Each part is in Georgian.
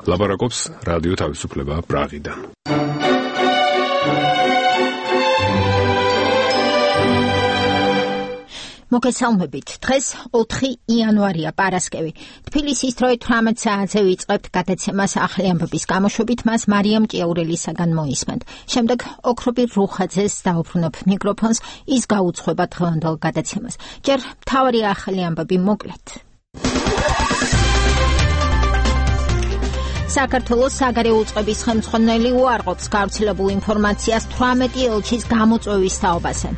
ლაპარაკობს რადიო თავისუფლება პრაღიდან. მოგესალმებით. დღეს 4 იანვარია, პარასკევი. თბილისის დროით 18 საათზე ვიწყებთ გადაცემას ახალი ამბების გამოშვებით, მას მარიამ ჭიაურელისაგან მოისმენთ. შემდეგ ოქრობი რუხაძეს დაუბრუნებ მიკროფონს, ის გაუძღვება დღევანდელ გადაცემას. ჯერ მთავარი ახალი ამბები მოკლედ. საქართველოს საგარეო უწყების ხელმძღვანელი უარყოფს გავრცელებულ ინფორმაციას 18 ელჩის გამოწვევის თაობაზე.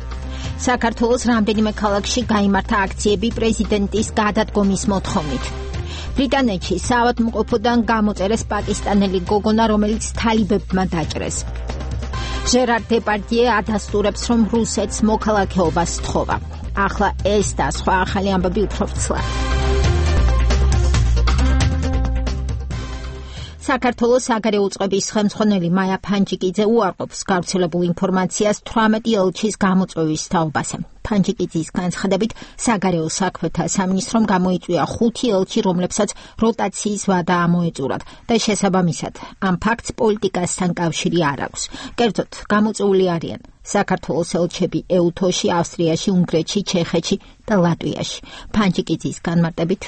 საქართველოს რამდენიმე ქალაქში გაიმართა აქციები პრეზიდენტის გადადგომის მოთხოვნით. ბრიტანეთში საავადმყოფოდან გამოწერეს პაკისტანელი გოგონა, რომელიც თალიბებმა დაჭრეს. ჟერარ დეპარდიე ადასტურებს, რომ რუსეთს მოქალაქეობას სთხოვა. ახლა ეს და სხვა ახალი ამბები უფრო ცლად. საქართველოს საგარეო უწყების ხელმძღვანელი მაია ფანჯიკიძე უარყოფს გავრცელებულ ინფორმაციას 18 ელჩის გამოწვევის თაობაზე. ფანჯიკიძის განცხადებით, საგარეო საქმეთა სამინისტრომ გამოიწვია 5 ელჩი, რომლებსაც როტაციის ვადა ამოეწურათ და შესაბამისად ამ ფაქტს პოლიტიკასთან კავშირი არ აქვს. კერძოდ, გამოწვეული არიან საქართველოს ელჩები ეუთოში, ავსტრიაში, უნგრეთში, ჩეხეთში და ლატვიაში. ფანჯიკიძის განმარტებით,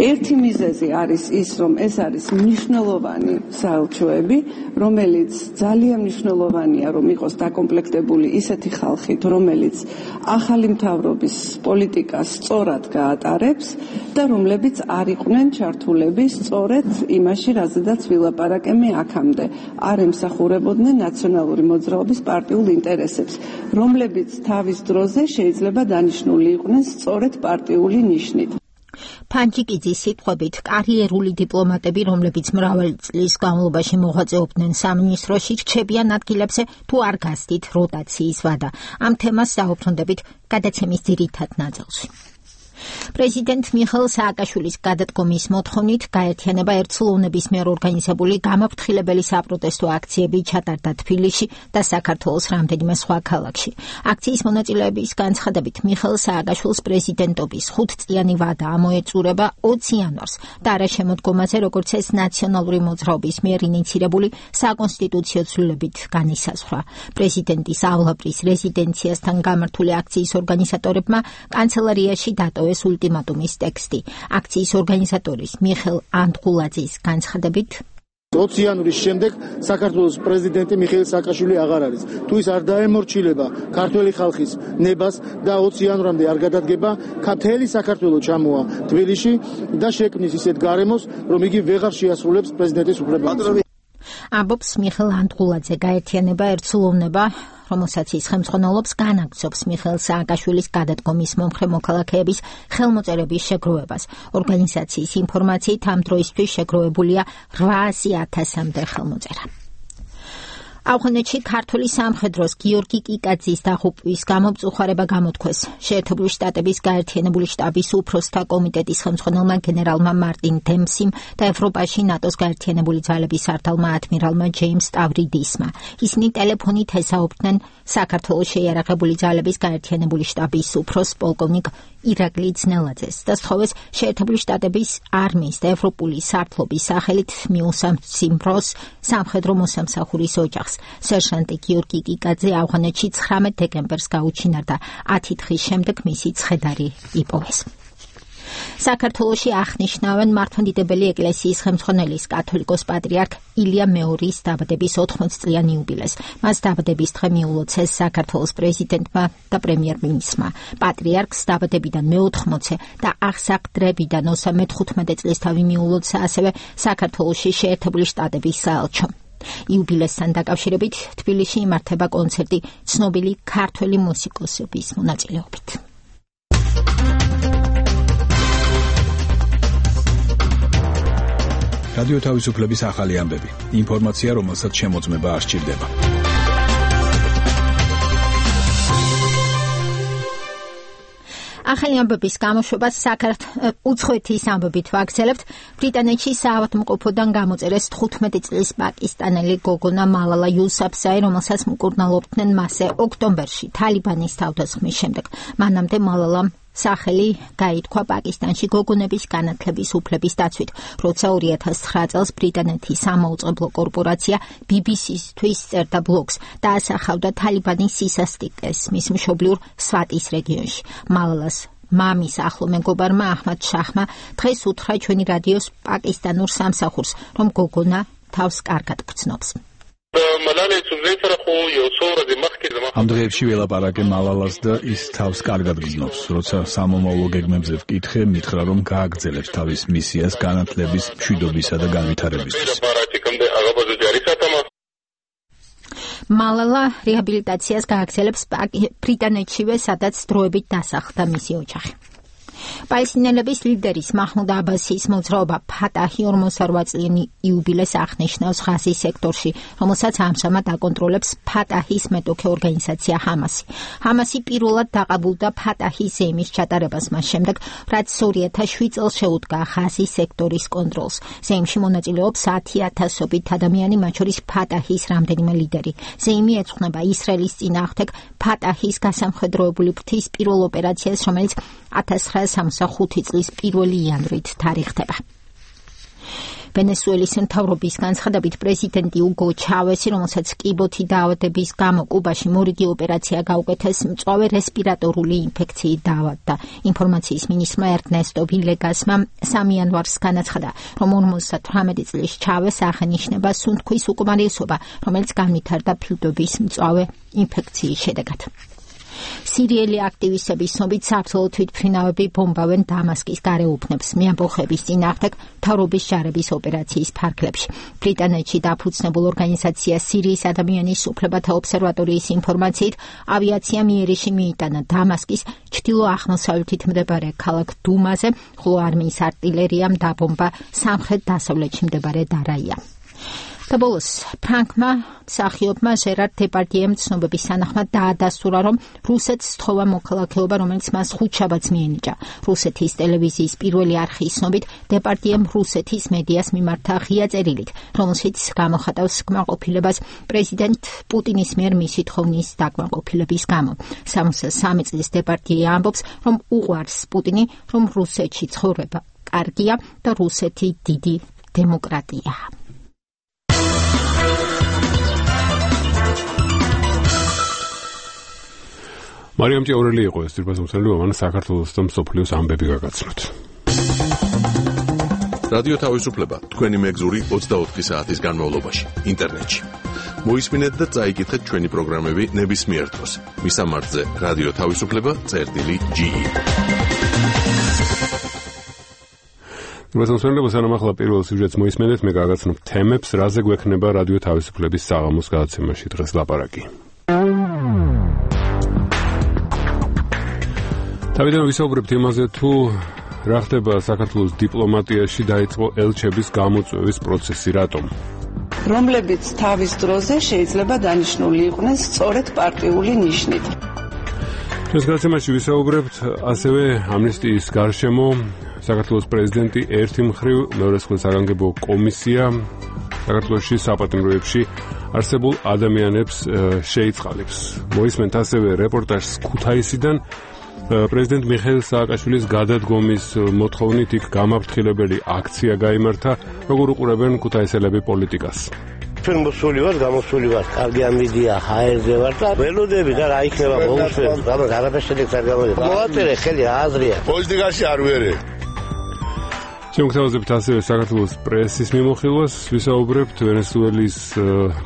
ერთი მიზეზი არის ის, რომ ეს არის მნიშვნელოვანი საელჩოები, რომელიც ძალიან მნიშვნელოვანია, რომ იყოს დაკომპლექტებული ისეთი ხალხით, რომელიც ახალი მთავრობის პოლიტიკას სწორად გაატარებს და რომლებიც არ იყვნენ ჩართულები სწორედ იმაში, რაზედაც ვილაპარაკემი აქამდე, არ ემსახურებოდნენ ნაციონალური მოძრაობის პარტიულ ინტერესებს, რომლებიც თავის დროზე შეიძლება დანიშნული იყვნენ სწორედ პარტიული ნიშნით. ფანჯიკიძის სიტყვებით, კარიერული დიპლომატები, რომლებიც მრავალი წლის განმავლობაში მოღვაწეობდნენ სამინისტროში, რჩებიან ადგილებზე თუ არ გასდით როტაციის ვადა. ამ თემას დავუბრუნდებით გადაცემის ძირითად ნაწილში. პრეზიდენტ მიხეილ სააკაშვილის გადადგომის მოთხოვნით გაერთიანება ერთსულოვნების მიერ ორგანიზებული გამაფრთხილებელი საპროტესტო აქციები ჩატარდა თბილისში და საქართველოს რამდენიმე სხვა ქალაქში. აქციის მონაწილეების განცხადებით, მიხეილ სააკაშვილს პრეზიდენტობის 5-წლიანი ვადა ამოეწურება 20 იანვარს და არაშემოდგომაზე, როგორც ეს ნაციონალური მოძრაობის მიერ ინიცირებული საკონსტიტუციო ცვლილებით განისაზღვრა. პრეზიდენტის ავლაბრის რეზიდენციასთან გამართული აქციის ორგანიზატორებმა კანცელარიაში დატოვეს ულტიმატუმის ტექსტი. აქციის ორგანიზატორის მიხეილ ანდღულაძის განცხადებით, 20 იანვრის შემდეგ საქართველოს პრეზიდენტი მიხეილ სააკაშვილი აღარ არის. თუ ის არ დაემორჩილება ქართველი ხალხის ნებას და 20 იანვრამდე არ გადადგება, მთელი საქართველო ჩამოა თბილისში და შექმნის ისეთ გარემოს, რომ იგი ვეღარ შეასრულებს პრეზიდენტის უფლებებს. ამბობს მიხეილ ანდღულაძე. გაერთიანება ერთსულოვნება, რომელსაც ის ხელმძღვანელობს, განაგრძობს მიხეილ სააკაშვილის გადადგომის მომხრე მოქალაქეების ხელმოწერების შეგროვებას. ორგანიზაციის ინფორმაციით ამ დროისთვის შეგროვებულია 800,000-მდე ხელმოწერა. ავღანეთში ქართული სამხედროს გიორგი კიკაძის დაღუპვის გამომწუხარება გამოთქვეს შეერთებული შტატების გაერთიანებული შტაბის უფროსთა კომიტეტის ხელმძღვანელმა გენერალმა მარტინ დემსიმ და ევროპაში ნატოს გაერთიანებული ძალების სარდალმა ადმირალმა ჯეიმს სტავრიდისმა. ისინი ტელეფონით ესაუბრდნენ საქართველოს შეიარაღებული ძალების გაერთიანებული შტაბის უფროს პოლკოვნიკ ირაკლი ძნელაძეს და სთხოვეს შეერთებული შტატების არმიის და ევროპული სარდლობის სახელით მიუსამსიმროს სამხედრო მოსამსახურის ოჯახს. სერჟანტი გიორგი კიკაძე ავღანეთში 19 დეკემბერს გაუჩინარდა. 10 დღის შემდეგ მისი ცხედარი იპოვეს. საქართველოში აღნიშნავენ მართლმადიდებელი ეკლესიის ხელმძღვანელის კათოლიკოს პატრიარქ ილია მეორის დაბადების 80-წლიან იუბილეს. მას დაბადების დღე მიულოცეს საქართველოს პრეზიდენტმა და პრემიერ-მინისტრმა. პატრიარქს დაბადებიდან მე-80 და აღსაყდრებიდან 35 წლისთავი მიულოცა ასევე საქართველოში შეერთებული შტატების საელჩომ. იუბილესთან დაკავშირებით თბილისში იმართება კონცერტი ცნობილი ქართველი მუსიკოსების მონაწილეობით. რადიო თავისუფლების ახალი ამბები. ინფორმაცია, რომელსაც შემოწმება არ სჭირდება. ახალი ამბების გამოშვებას უცხოეთის ამბებით ვაგრძელებთ. ბრიტანეთში საავადმყოფოდან გამოწერეს 15 წლის პაკისტანელი გოგონა მალალა იუსაფზაი, რომელსაც მკურნალობდნენ მასზე ოქტომბერში თალიბანის თავდასხმის შემდეგ. მანამდე მალალამ სახელი გაითქვა პაკისტანში გოგონების განათლების უფლების დაცვით, როცა 2009 წელს ბრიტანეთის სამაუწყებლო კორპორაცია BBC-თვის წერდა ბლოგს და ასახავდა თალიბანის სისასტიკეს მის მშობლიურ სვატის რეგიონში. მალალას მამის ახლო მეგობარმა აჰმად შაჰმა დღეს უთხრა ჩვენი რადიოს პაკისტანურ სამსახურს, რომ გოგონა თავს კარგად გრძნობს. ამ დღეებში ველაპარაკე მალალას და ის თავს კარგად გრძნობს. როცა სამომავლო გეგმებზე ვკითხე, მითხრა, რომ გააგრძელებს თავის მისიას განათლების, მშვიდობისა და განვითარებისთვის. მალალა რეაბილიტაციას გააგრძელებს ბრიტანეთშივე, სადაც დროებით დასახლდა მისი ოჯახი. პალესტინელების ლიდერის მაჰმუდ აბასის მოძრაობა ფატაჰი 48 წლიანი იუბილეს აღნიშნავს ღაზის სექტორში, რომელსაც ამჟამად აკონტროლებს ფატაჰის მეტოქე ორგანიზაცია ჰამასი. ჰამასი პირველად დაყაბულდა ფატაჰის ზეიმის ჩატარებას მას შემდეგ, რაც 2007 წელს შეუდგა ღაზის სექტორის კონტროლს. ზეიმში მონაწილეობს 10,000-ობით ადამიანი, მათ შორის ფატაჰის რამდენიმე ლიდერი. ზეიმი ეძღვნება ისრაელის წინააღმდეგ ფატაჰის გასამხედროებული ფრთის პირველ ოპერაციას, რომელიც 1965 წლის 1 იანვრით თარიღდება. ვენესუელის მთავრობის განცხადებით პრეზიდენტი უგო ჩავესი, რომელსაც კიბოთი დაავადების გამო კუბაში მორიგი ოპერაცია გაუკეთეს, მწვავე რესპირატორული ინფექციით დაავადდა. ინფორმაციის მინისტრმა ერნესტო ვილეგასმა 3 იანვარს განაცხადა, რომ 58 წლის ჩავეს აღენიშნება სუნთქვის უკმარისობა, რომელიც განვითარდა ფილტვების მწვავე ინფექციის შედეგად. სირიელი აქტივისტების ცნობით საბრძოლო თვითმფრინავები ბომბავენ დამასკის გარეუბნებს მეამბოხების წინააღმდეგ მთავრობის ჯარების ოპერაციის ფარგლებში. ბრიტანეთში დაფუძნებულ ორგანიზაცია სირიის ადამიანის უფლებათა ობსერვატორიის ინფორმაციით, ავიაციამ იერიში მიიტანა დამასკის ჩრდილო-აღმოსავლეთით მდებარე ქალაქ დუმაზე, ხოლო არმიის არტილერიამ დაბომბა სამხრეთ-დასავლეთში მდებარე დარაია. და ბოლოს, ფრანკმა მსახიობმა ჟერარ დეპარდიემ ცნობების თანახმად დაადასტურა, რომ რუსეთს სთხოვა მოქალაქეობა, რომელიც მას ხუთშაბათს მიენიჭა. რუსეთის ტელევიზიის პირველი არხის ცნობით, დეპარდიემ რუსეთის მედიას მიმართა ღია წერილით, რომელშიც გამოხატავს კმაყოფილებას პრეზიდენტ პუტინის მიერ მისი თხოვნის დაკმაყოფილების გამო. 63 წლის დეპარდიე ამბობს, რომ უყვარს პუტინი, რომ რუსეთში ცხოვრება კარგია და რუსეთი დიდი დემოკრატიაა. მარიამ ჭეურელი იყო ეს ძირფასმცემელი, რომელიც საქართველოს და მსოფლიოს ამბები გაგაცნოთ. რადიო თავისუფლება თქვენი მეგზური 24 საათის განმავლობაში ინტერნეტში. მოისმინეთ და წაიკითხეთ ჩვენი პროგრამები ნებისმიერ დროს. მისამართზე რადიო თავისუფლება.ge. ძირფასმცემელი სანამ ახლა პირველ სიუჟეტს მოისმენთ, მე გაგაცნობ თემებს, რაზე გვექნება რადიო თავისუფლების საღამოს გადაცემაში დღეს ლაპარაკი. თავიდან ვისაუბრებთ იმაზე, თუ რა ხდება საქართველოს დიპლომატიაში დაიწყო ელჩების გამოწვევის პროცესი, რატომ? რომლებიც თავის დროზე შეიძლება დანიშნული იყვნენ სწორედ პარტიული ნიშნით. ეს გადაცემაში ვისაუბრებთ ასევე ამნისტიის გარშემო. საქართველოს პრეზიდენტი ერთი მხრივ, მეორე მხრივ საგანგებო კომისია საქართველოში საპატიმროებში არსებულ ადამიანებს შეიწყალებს. მოისმენთ ასევე რეპორტაჟს ქუთაისიდან. პრეზიდენტ მიხეილ სააკაშვილის გადადგომის მოთხოვნით იქ გამაფრთხილებელი აქცია გაიმართა, როგორ უყურებენ ქუთაისელები პოლიტიკას. ჩვენ მოსული ვართ, გამოსული ვართ, კარგი ამბიდია, ჰაერზე ვართ და ველოდები და რა იქნება მოუსვენ, ამას არაფერს შედეგს არ გამოდის. მოაწერე ხელი აზრია. პოლიტიკაში არ ვერე. შემოგთავაზებთ ასევე საქართველოს პრესის მიმოხილვას, ვისაუბრებთ ვენესუელის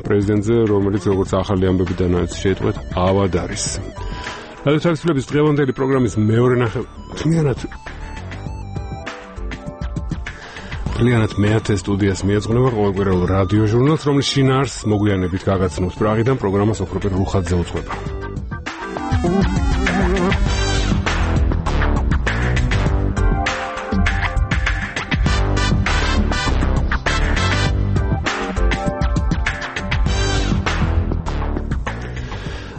პრეზიდენტზე, რომელიც როგორც ახალი ამბებიდანაც შეიტყვეთ, ავად არის. რადიო თავისუფლების დღევანდელი პროგრამის მეორე მთლიანად მეათე სტუდიას მიეძღვნება ყოველკვირეულ რადიო ჟურნალს, რომლის შინაარსს მოგვიანებით გაგაცნობს პრაღიდან, პროგრამას ოქროპირ რუხაძე უძღვება.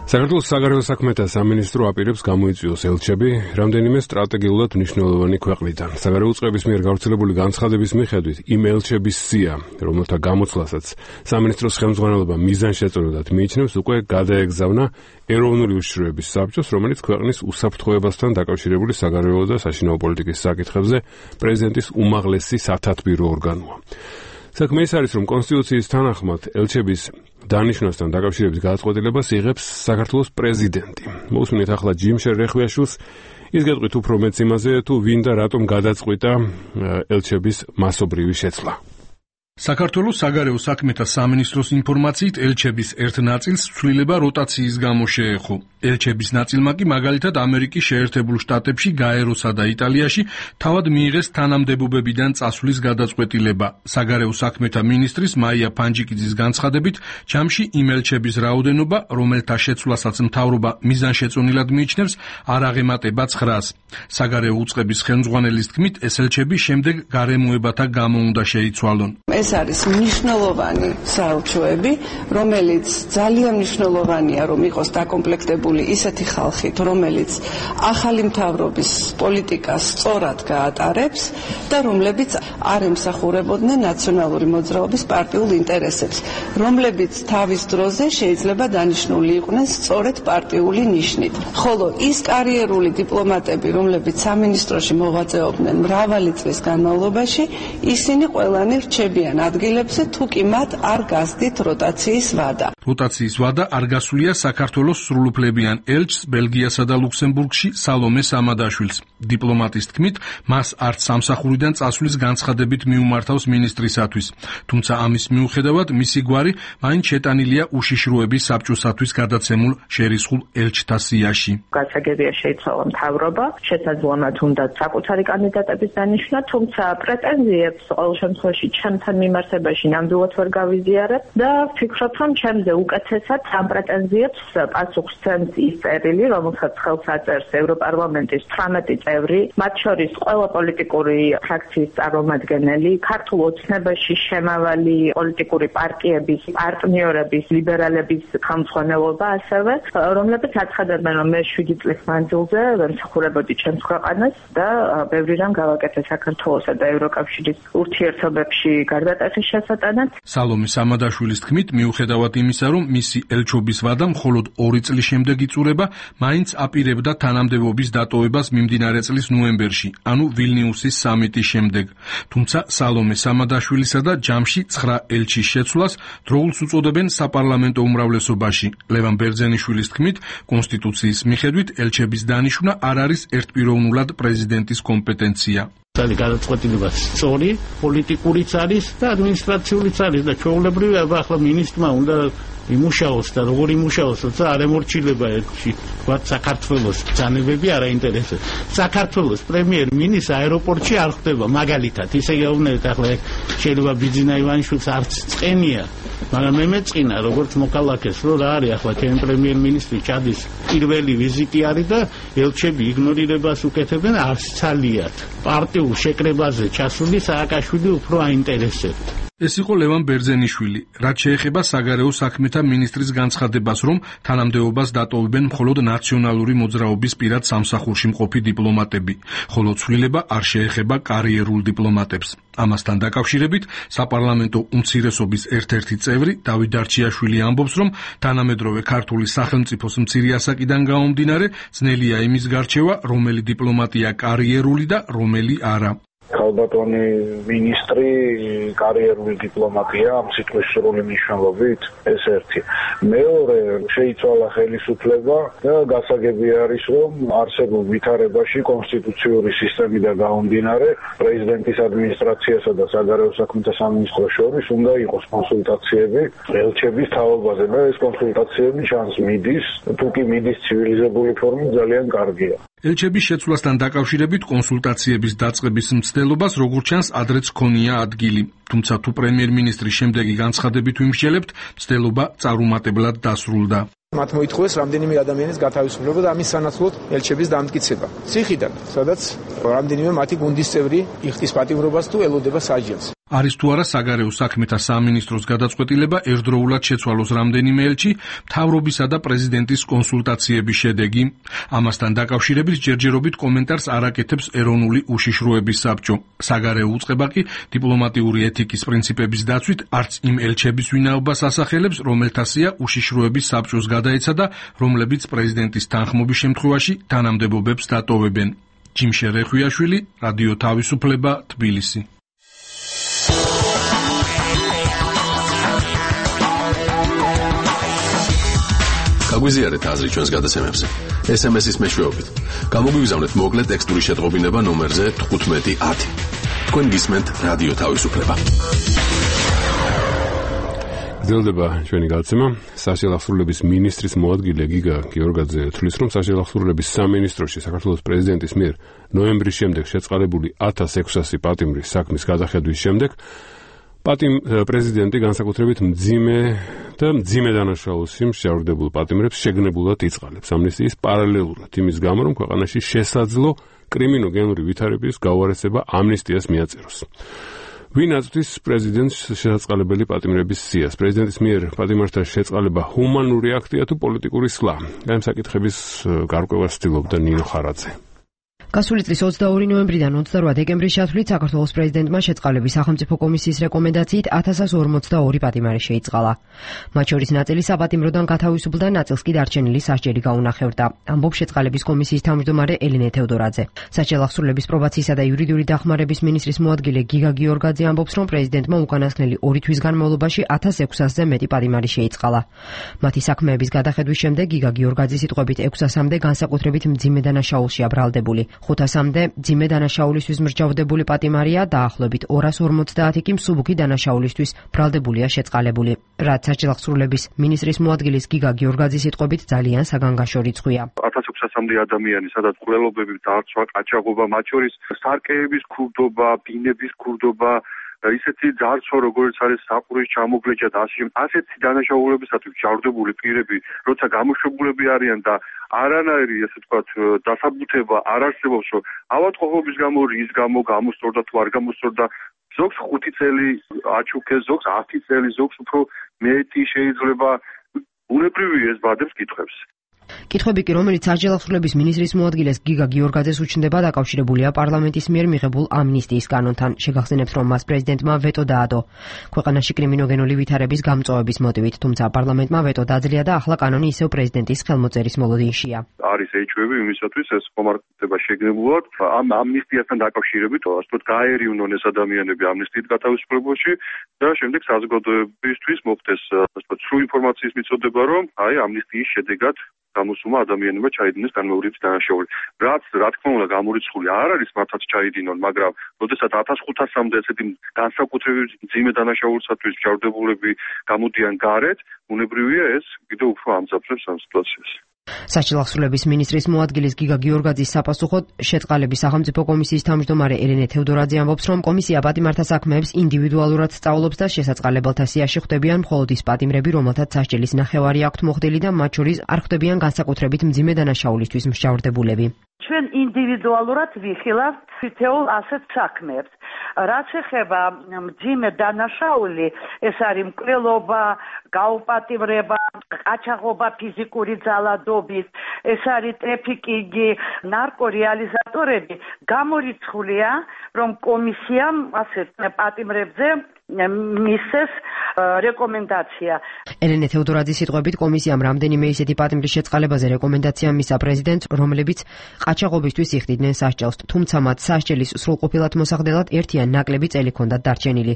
საქართველოს საგარეო საქმეთა სამინისტრო აპირებს გამოიწვიოს ელჩები რამდენიმე სტრატეგიულად მნიშვნელოვანი ქვეყნიდან. საგარეო უწყების მიერ გავრცელებული განცხადების მიხედვით იმ ელჩების სია, რომელთა გამოცვლასაც სამინისტროს ხელმძღვანელობა მიზანშეწონილად მიიჩნევს, უკვე გადაეგზავნა ეროვნული უშიშროების საბჭოს, რომელიც ქვეყნის უსაფრთხოებასთან დაკავშირებული საგარეო და საშინაო პოლიტიკის საკითხებზე პრეზიდენტის უმაღლესი სათათბირო ორგანოა. საქმე ის არის, რომ კონსტიტუციის თანახმად ელჩების დანიშვნასთან დაკავშირების გადაწყვეტილებას იღებს საქართველოს პრეზიდენტი. მოусმინეთ ახლა ჯიმშერ რეხვიაშვილს, ის გეტყვით უფრო მეც იმაზე, თუ ვინ და რატომ გადაწყვიტა ელჩების მასობრივი შეცვლა. საქართველოს საგარეო საქმეთა სამინისტროს ინფორმაციით ელჩების ერთ ნაწილს ცვლილება როტაციის გამო შეეხო. ელჩების ნაწილმა კი მაგალითად ამერიკის შეერთებულ შტატებში, გაეროსა და იტალიაში თავად მიიღეს თანამდებობებიდან წასვლის გადაწყვეტილება. საგარეო საქმეთა მინისტრის მაია ფანჯიკიძის განცხადებით, ჯამში იმ ელჩების რაოდენობა, რომელთა შეცვლასაც მთავრობა მიზანშეწონილად მიიჩნევს, არ აღემატება 900-ს. საგარეო უწყების ხელმძღვანელის თქმით, ეს ელჩები შემდეგ გარემოებათა გამო უნდა შეიცვალონ. ეს არის მნიშვნელოვანი საელჩოები, რომელიც ძალიან მნიშვნელოვანია, რომ იყოს დაკომპლექტებული ისეთი ხალხით, რომელიც ახალი მთავრობის პოლიტიკას სწორად გაატარებს და რომლებიც არ ემსახურებოდნენ ნაციონალური მოძრაობის პარტიულ ინტერესებს, რომლებიც თავის დროზე შეიძლება დანიშნული იყვნენ სწორედ პარტიული ნიშნით. ხოლო ის კარიერული დიპლომატები, რომლებიც სამინისტროში მოღვაწეობდნენ მრავალი წლის განმავლობაში, ისინი ყველანი რჩებიან ადგილებზე, თუ კი მათ არ გასდით როტაციის ვადა. როტაციის ვადა არ გასულია საქართველოს სრულუფლებიან ელჩს ბელგიასა და ლუქსემბურგში სალომე სამადაშვილს. დიპლომატის თქმით, მას არც სამსახურიდან წასვლის განცხადებით მიუმართავს მინისტრისათვის. თუმცა ამის მიუხედავად მისი გვარი მაინც შეტანილია უშიშროების საბჭოსათვის გადაცემულ შერისხულ ელჩთა სიაში. გასაგებია შეიცვალა მთავრობა, შესაძლოა თუნდაც საკუთარი კანდიდატების დანიშვნა, თუმცა პრეტენზიებს ყოველ შემთხვევაში ჩემთან მიმართებაში ნამდვილად ვერ გავიზიარებ და ვფიქრობ, რომ ჩემზე უკეთესად ამ პრეტენზიებს პასუხს სცემს ის წერილი, რომელსაც ხელს აწერს ევროპარლამენტის 18 წევრი, მათ შორის ყველა პოლიტიკური ფრაქციის წარმომადგენელი, ქართულ ოცნებაში შემავალი პოლიტიკური პარტიების, პარტნიორების, ლიბერალების ხელმძღვანელობა ასევე, რომლებიც აცხადებენ, რომ მე 7 წლის მანძილზე ვემსახურებოდი ჩემს ქვეყანას და ბევრი რამ გავაკეთე საქართველოსა და ევროკავშირის ურთიერთობებში გარდატეხის შესატანად. სალომე სამადაშვილის თქმით, მიუხედავად იმისა, რომ მისი ელჩობის ვადა მხოლოდ 2 წლის შემდეგ იწურება, მაინც აპირებდა თანამდებობის დატოვებას მიმდინარე წლის ნოემბერში, ანუ ვილნიუსის სამიტის შემდეგ. თუმცა სალომე სამადაშვილისა და ჯამში 9 ელჩის შეცვლას დროულს უწოდებენ საპარლამენტო უმრავლესობაში. ლევან ბერძენიშვილის თქმით, კონსტიტუციის მიხედვით ელჩების დანიშვნა არ არის ერთპიროვნულად პრეზიდენტის კომპეტენცია. გადაწყვეტილება სწორი, პოლიტიკურიც არის და ადმინისტრაციულიც არის და ჩვეულებრივია, ახლა მინისტრმა უნდა იმუშაოს და როგორ იმუშაოს, როცა არ ემორჩილება ერთში, ვთქვათ, საქართველოს ბრძანებები არ აინტერესებს. საქართველოს პრემიერ-მინისტრს აეროპორტში არ ხდება, მაგალითად, ისე გეუბნებით, ახლა შეიძლება ბიძინა ივანიშვილს არც წენია, მაგრამ მე მეწყინა, როგორც მოქალაქეს, რომ რა არის ახლა ჩემი პრემიერ-მინისტრი ჩადის პირველი ვიზიტი არის და ელჩები იგნორირებას უკეთებენ, არც ცალიათ. პარტიულ შეკრებაზე ჩასული სააკაშვილი უფრო აინტერესებთ. ეს იყო ლევან ბერძენიშვილი, რაც შეეხება საგარეო საქმეთა მინისტრის განცხადებას, რომ თანამდებობას დატოვებენ მხოლოდ ნაციონალური მოძრაობის პირად სამსახურში მყოფი დიპლომატები, ხოლო ცვლილება არ შეეხება კარიერულ დიპლომატებს. ამასთან დაკავშირებით საპარლამენტო უმცირესობის ერთ-ერთი წევრი დავით დარჩიაშვილი ამბობს, რომ თანამედროვე ქართული სახელმწიფოს მცირე ასაკიდან გამომდინარე, ძნელია იმის გარჩევა, რომელი დიპლომატია კარიერული და რომელი არა. ქალბატონი მინისტრი კარიერული დიპლომატია ამ სიტყვის სრული მნიშვნელობით, ეს ერთი. მეორე, შეიცვალა ხელისუფლება და გასაგები არის, რომ არსებულ ვითარებაში კონსტიტუციური სისტემიდან გამომდინარე, პრეზიდენტის ადმინისტრაციასა და საგარეო საქმეთა სამინისტროს შორის უნდა იყოს კონსულტაციები ელჩების თაობაზე და ეს კონსულტაციები ჩანს მიდის, თუ კი მიდის ცივილიზებული ფორმით ძალიან კარგია. ელჩების შეცვლასთან დაკავშირებით კონსულტაციების დაწყების მცდელობას როგორც ჩანს ადრეც ჰქონია ადგილი. თუმცა თუ პრემიერ-მინისტრის შემდეგი განცხადებით ვიმსჯელებთ, მცდელობა წარუმატებლად დასრულდა. მათ მოითხოვეს რამდენიმე ადამიანის გათავისუფლება და ამის სანაცვლოდ ელჩების დამტკიცება. ციხიდან, სადაც რამდენიმე მათი გუნდის წევრი იხდის პატიმრობას თუ ელოდება საჯელს. არის თუ არა საგარეო საქმეთა სამინისტროს გადაწყვეტილება ერთდროულად შეცვალოს რამდენიმე ელჩი მთავრობისა და პრეზიდენტის კონსულტაციების შედეგი. ამასთან დაკავშირებით ჯერჯერობით კომენტარს არ აკეთებს ეროვნული უშიშროების საბჭო. საგარეო უწყება კი დიპლომატიური ეთიკის პრინციპების დაცვით არც იმ ელჩების ვინაობას ასახელებს, რომელთა სია უშიშროების საბჭოს გადაეცა და რომლებიც პრეზიდენტის თანხმობის შემთხვევაში თანამდებობებს დატოვებენ. ჯიმშე რეხვიაშვილი, რადიო თავისუფლება, თბილისი. გაგვიზიარეთ აზრი ჩვენს გადაცემებზე. SMS-ის მეშვეობით. გამოგვიგზავნეთ მოკლე ტექსტური შეტყობინება ნომერზე 1510. თქვენ გისმენთ რადიო თავისუფლება. გრძელდება ჩვენი გადაცემა. საშინააღმდეგობის მინისტრის მოადგილე გიგა გიორგაძე თვლის, რომ საშინააღმდეგობის სამინისტროში საქართველოს პრეზიდენტის მიერ ნოემბრის შემდეგ შეწყალებული 1600 პატიმრის საქმის გადახედვის შემდეგ პრეზიდენტი განსაკუთრებით მძიმე დანაშაულში მსჯავრდებულ პატიმრებს შეგნებულად იწყალებს ამნისტიის პარალელურად იმის გამო, რომ ქვეყანაში შესაძლო კრიმინოგენური ვითარების გაუარესება ამნისტიას მიაწეროს. ვინ აწვდის პრეზიდენტს შესაწყალებელი პატიმრების სიას? პრეზიდენტის მიერ პატიმრთა შეწყალება ჰუმანური აქტია თუ პოლიტიკური სვლა? ამ საკითხების გარკვევას ცდილობდა ნინო ხარაძე. გასული წლის 22 ნოემბრიდან 28 დეკემბრის ჩათვლით საქართველოს პრეზიდენტმა შეწყალების სახელმწიფო კომისიის რეკომენდაციით 1142 პატიმარი შეიწყალა. მათ შორის ნაწილი საპატიმროდან გათავისუფლდა, ნაწილს კი დარჩენილი სასჯელი გაუნახებდა. ამბობს შეწყალების კომისიის თავმჯდომარე ელენე თევდორაძე. საჯელახსრულების პრობაციისა და იურიდიული დახმარების მინისტრის მოადგილე გიგა გიორგაძე ამბობს, რომ პრეზიდენტმა უკანასკნელი 2 თვის განმავლობაში 1600-ზე მეტი პატიმარი შეიწყალა. მათი საქმეების გადახედვის შემდეგ გიგა გიორგაძის სიტყვებით 600-მდე განსაკუთრებით მძიმე დანაშაულშია ბრალდებული. 500-მდე მძიმე დანაშაულისთვის მსჯავრდებული პატიმარია, დაახლოებით 250 კი მსუბუქი დანაშაულისთვის ბრალდებულია შეწყალებული. რაც საჯელახსრულების მინისტრის მოადგილის გიგა გიორგაძის სიტყვებით ძალიან საგანგაშო რიცხვია. 1600-მდე ადამიანი, სადაც ყველობები დარწვა, ყაჩაღობა, მათ შორის სარკეების ქურდობა, ბინების ქურდობა, ისეთი ძარცვა, როგორც არის საყურის ჩამოგლეჭა და ასეთი დანაშაულებისათვის ჯავრდებული პირები, როცა გამოშვებულები არიან და არანაირი, ასე ვთქვათ, დასაბუთება არ არსებობს, რომ ავადმყოფობის გამო, რის გამო გამოსწორდა თუ არ გამოსწორდა, ზოგს 5 წელი აჩუქეს, ზოგს 10 წელი, ზოგს უფრო მეტი შეიძლება. უნებრივია ეს ბადებს კითხვებს. კითხვები კი, რომელიც საჯელახსრულების მინისტრის მოადგილეს გიგა გიორგაძეს უჩნდება, დაკავშირებულია პარლამენტის მიერ მიღებულ ამნისტიის კანონთან. შეგახსენებთ, რომ მას პრეზიდენტმა ვეტო დაადო ქვეყანაში კრიმინოგენული ვითარების გამწვავების მოტივით, თუმცა პარლამენტმა ვეტო დაძლია და ახლა კანონი ისევ პრეზიდენტის ხელმოწერის მოლოდინშია. არის ეჭვები იმისათვის ეს ხომართება შეგნებულად ამ ამნისტიასთან დაკავშირებით, ასე ვთქვათ, გაერიუნონ ეს ადამიანები ამნისტიით გათავისუფლებაში და შემდეგ საზოგადოებისთვის მოხდეს, ასე ვთქვათ, სრული ინფორმაციის მიწოდება, რომ აი ამნისტიის შედეგად გამოსუმა ადამიანებმა ჩაიდინეს განმეორების დანაშაული. რაც რა თქმა უნდა გამორიცხული არ არის მართლაც ჩაიდინონ, მაგრამ როდესაც 1500-მდე ესეთი განსაკუთრებით მძიმე დანაშაულისათვის მსჯავრდებულები გამოდიან გარეთ, უნებრივია ეს კიდევ უფრო ამძაფრებს ამ სიტუაციას. საჯელახსრულების მინისტრის მოადგილის გიგა გიორგაძის საპასუხოდ შეწყალების სახელმწიფო კომისიის თავმჯდომარე ელენე თევდორაძე ამბობს, რომ კომისია პატიმართა საქმეებს ინდივიდუალურად სწავლობს და შესაწყალებელთა სიაში ხვდებიან მხოლოდ ის პატიმრები, რომელთაც სასჯელის ნახევარი აქვთ მოხდილი და მათ შორის არ ხვდებიან განსაკუთრებით მძიმე დანაშაულისთვის მსჯავრდებულები. ჩვენ ინდივიდუალურად ვიხილავთ თითოეულ ასეთ საქმეებს. რაც ეხება მძიმე დანაშაული, ეს არის მკვლელობა, გაუპატიმრება, ყაჩაღობა ფიზიკური ძალადობით, ეს არის ტრაფიკინგი, ნარკორეალიზატორები. გამორიცხულია, რომ კომისიამ ასეთ პატიმრებზე მისცეს რეკომენდაცია. ელენე თევდორაძის სიტყვებით კომისიამ რამდენიმე ისეთი პატიმრის შეწყალებაზე რეკომენდაცია მისცა პრეზიდენტს, რომლებიც ყაჩაღობისთვის იხდიდნენ სასჯელს, თუმცა მათ სასჯელის სრულყოფილად მოსახდელად ერთი ან ნაკლები წელი ჰქონდათ დარჩენილი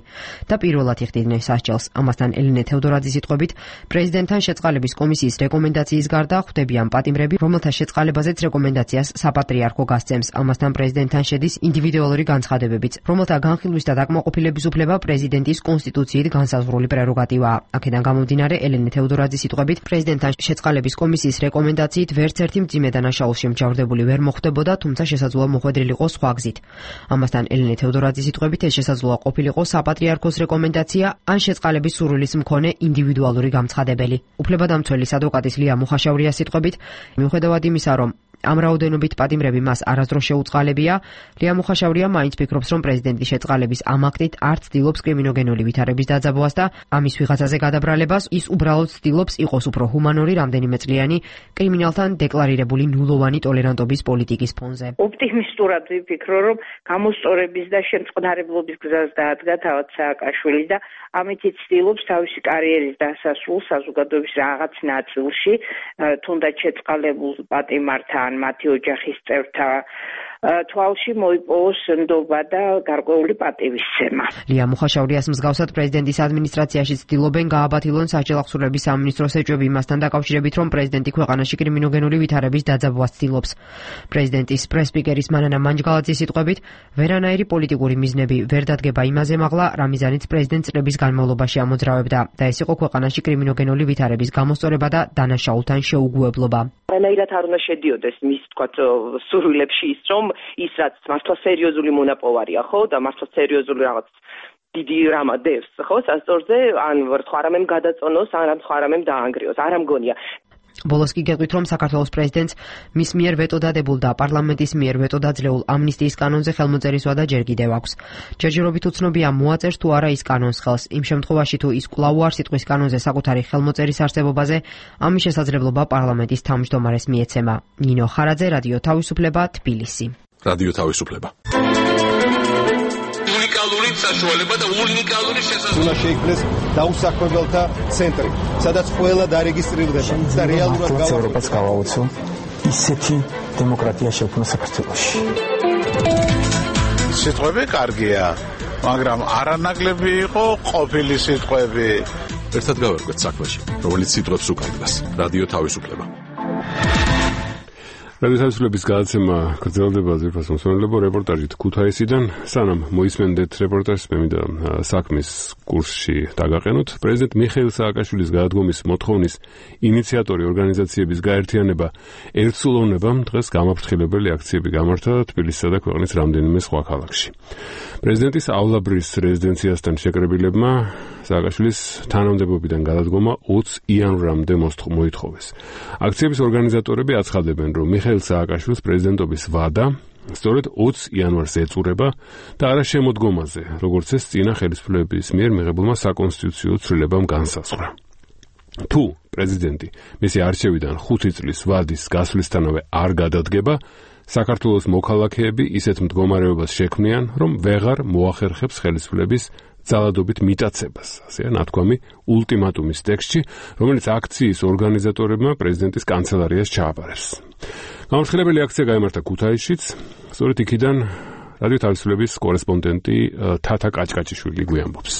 და პირველად იხდიდნენ სასჯელს. ამასთან ელენე თევდორაძის სიტყვებით პრეზიდენტთან შეწყალების კომისიის რეკომენდაციის გარდა ხვდებიან პატიმრები, რომელთა შეწყალებაზეც რეკომენდაციას საპატრიარქო გასცემს. ამასთან პრეზიდენტთან შედის ინდივიდუალური განცხადებებიც, რომელთა განხილვის და დაკმაყოფილების უფლება პრეზიდენტის კონსტიტუციით განსაზღვრული პრეროგატივაა. აქედან გამომდინარე, ელენე თევდორაძის სიტყვებით პრეზიდენტთან შეწყალების კომისიის რეკომენდაციით ვერც ერთი მძიმე დანაშაულში მსჯავრდებული ვერ მოხვდებოდა, თუმცა შესაძლოა მოხვედრილიყო სხვა გზით. ამასთან ელენე თევდორაძის სიტყვებით ეს შესაძლოა ყოფილიყო საპატრიარქოს რეკომენდაცია ან შეწყალების სურვილის მქონე ინდივიდუალური გამცხადებელი. უფლებადამცველის ადვოკატის ლია მუხაშავრიას სიტყვებით, მიუხედავად იმისა, რომ ამ რაოდენობით პატიმრები მას არასდროს შეუწყალებია. ლია მუხაშავრია მაინც ფიქრობს, რომ პრეზიდენტის შეწყალების ამ აქტით არც ცდილობს კრიმინოგენული ვითარების დაძაბვას და ამის ვიღაცაზე გადაბრალებას, ის უბრალოდ ცდილობს იყოს უფრო ჰუმანური რამდენიმე წლიანი კრიმინალთან დეკლარირებული ნულოვანი ტოლერანტობის პოლიტიკის ფონზე. ოპტიმისტურად ვიფიქრო, რომ გამოსწორების და შემწყნარებლობის გზას დაადგა თავად სააკაშვილი და ამით ცდილობს თავისი კარიერის დასასრულს საზოგადოების რაღაც ნაწილში, თუნდაც შეწყალებულ პატიმართან, მათი ოჯახის წევრთა თვალში მოიპოვოს ნდობა და გარკვეული პატივისცემა. ლია მუხაშავრიას მსგავსად პრეზიდენტის ადმინისტრაციაში ცდილობენ გააბათილონ სასჯელ ახსურების სამინისტროს ეჭვები იმასთან დაკავშირებით, რომ პრეზიდენტი ქვეყანაში კრიმინოგენული ვითარების დაძაბვას ცდილობს. პრეზიდენტის პრესპიკერის მანანა მანჯგალაძის სიტყვებით, ვერანაირი პოლიტიკური მიზნები ვერ დადგება იმაზე მაღლა, რამიზანიც პრეზიდენტს წლების განმავლობაში ამოძრავებდა და ეს იყო ქვეყანაში კრიმინოგენული ვითარების გამოსწორება და დანაშაულთან შეუგუებლობა. რანაირად არ უნდა შედიოდეს მის თქვათ სურვილებში ის, რომ ის რაც მართლა სერიოზული მონაპოვარია, ხო, და მართლა სერიოზული რაღაც დიდი რამა დევს, ხო, სასწორზე, ან ვერთხვა რამემ გადაწონოს, ან რამხვა რამემ დაანგრიოს, არ ამგონია. ბოლოს კი გეტყვით, რომ საქართველოს პრეზიდენტს მის მიერ ვეტო დადებულ და პარლამენტის მიერ ვეტო დაძლეულ ამნისტიის კანონზე ხელმოწერის ვადა ჯერ კიდევ აქვს. ჯერჯერობით უცნობია მოაწერს თუ არა ის კანონს ხელს. იმ შემთხვევაში თუ ის კვლავ არ სიტყვის კანონზე საკუთარი ხელმოწერის არსებობაზე, ამის შესაძლებლობა პარლამენტის თავმჯდომარეს მიეცემა. ნინო ხარაძე, რადიო თავისუფლება, თბილისი. რადიო თავისუფლება. უნიკალური საშუალება და უნიკალური შესაძლებლობა. უნდა შეიქმნეს დაუსაქმებელთა ცენტრი, სადაც ყველა დარეგისტრირდება და რეალურად ევროპას გავაუწო ისეთი დემოკრატია შექმნა საქართველოში. სიტყვები კარგია, მაგრამ არანაკლები იყო ყოფილი სიტყვები. ერთად გავერკვეთ საქმეში, რომელიც სიტყვებს უკარგავს. რადიო თავისუფლება. რადიო თავისუფლების გადაცემა გრძელდება ზეფას მოსვენებლებო რეპორტაჟით ქუთაისიდან. სანამ მოისმენდეთ რეპორტაჟს, მე მინდა საქმის კურსში დაგაყენოთ. პრეზიდენტ მიხეილ სააკაშვილის გადადგომის მოთხოვნის ინიციატორი ორგანიზაციების გაერთიანება ერთსულოვნებამ დღეს გამაფრთხილებელი აქციები გამართა თბილისსა და ქვეყნის რამდენიმე სხვა ქალაქში. პრეზიდენტისავლაბრის რეზიდენციასთან შეკრებილებმა სააკაშვილის თანამდებობიდან გადადგომა 20 იანვრამდე მოითხოვეს. აქციების ორგანიზატორები აცხადებენ, რომ მიხეილ სააკაშვილის პრეზიდენტობის ვადა სწორედ 20 იანვარს ეწურება და არა შემოდგომაზე, როგორც ეს წინა ხელისუფლების მიერ მიღებულმა საკონსტიტუციო ცვლილებამ განსაზღვრა. თუ პრეზიდენტი მისი არჩევიდან 5 წლის ვადის გასვლისთანავე არ გადადგება, საქართველოს მოქალაქეები ისეთ მდგომარეობას შექმნიან, რომ ვეღარ მოახერხებს ხელისუფლების ძალადობით მიტაცებას, ასეა ნათქვამი ულტიმატუმის ტექსტში, რომელიც აქციის ორგანიზატორებმა პრეზიდენტის კანცელარიას ჩააბარეს. გამორჩილებელი აქცია გაიმართა ქუთაისშიც, სწორედ იქიდან რადიო თავისუფლების კორესპონდენტი თათა კაჭკაჭიშვილი გვიამბობს.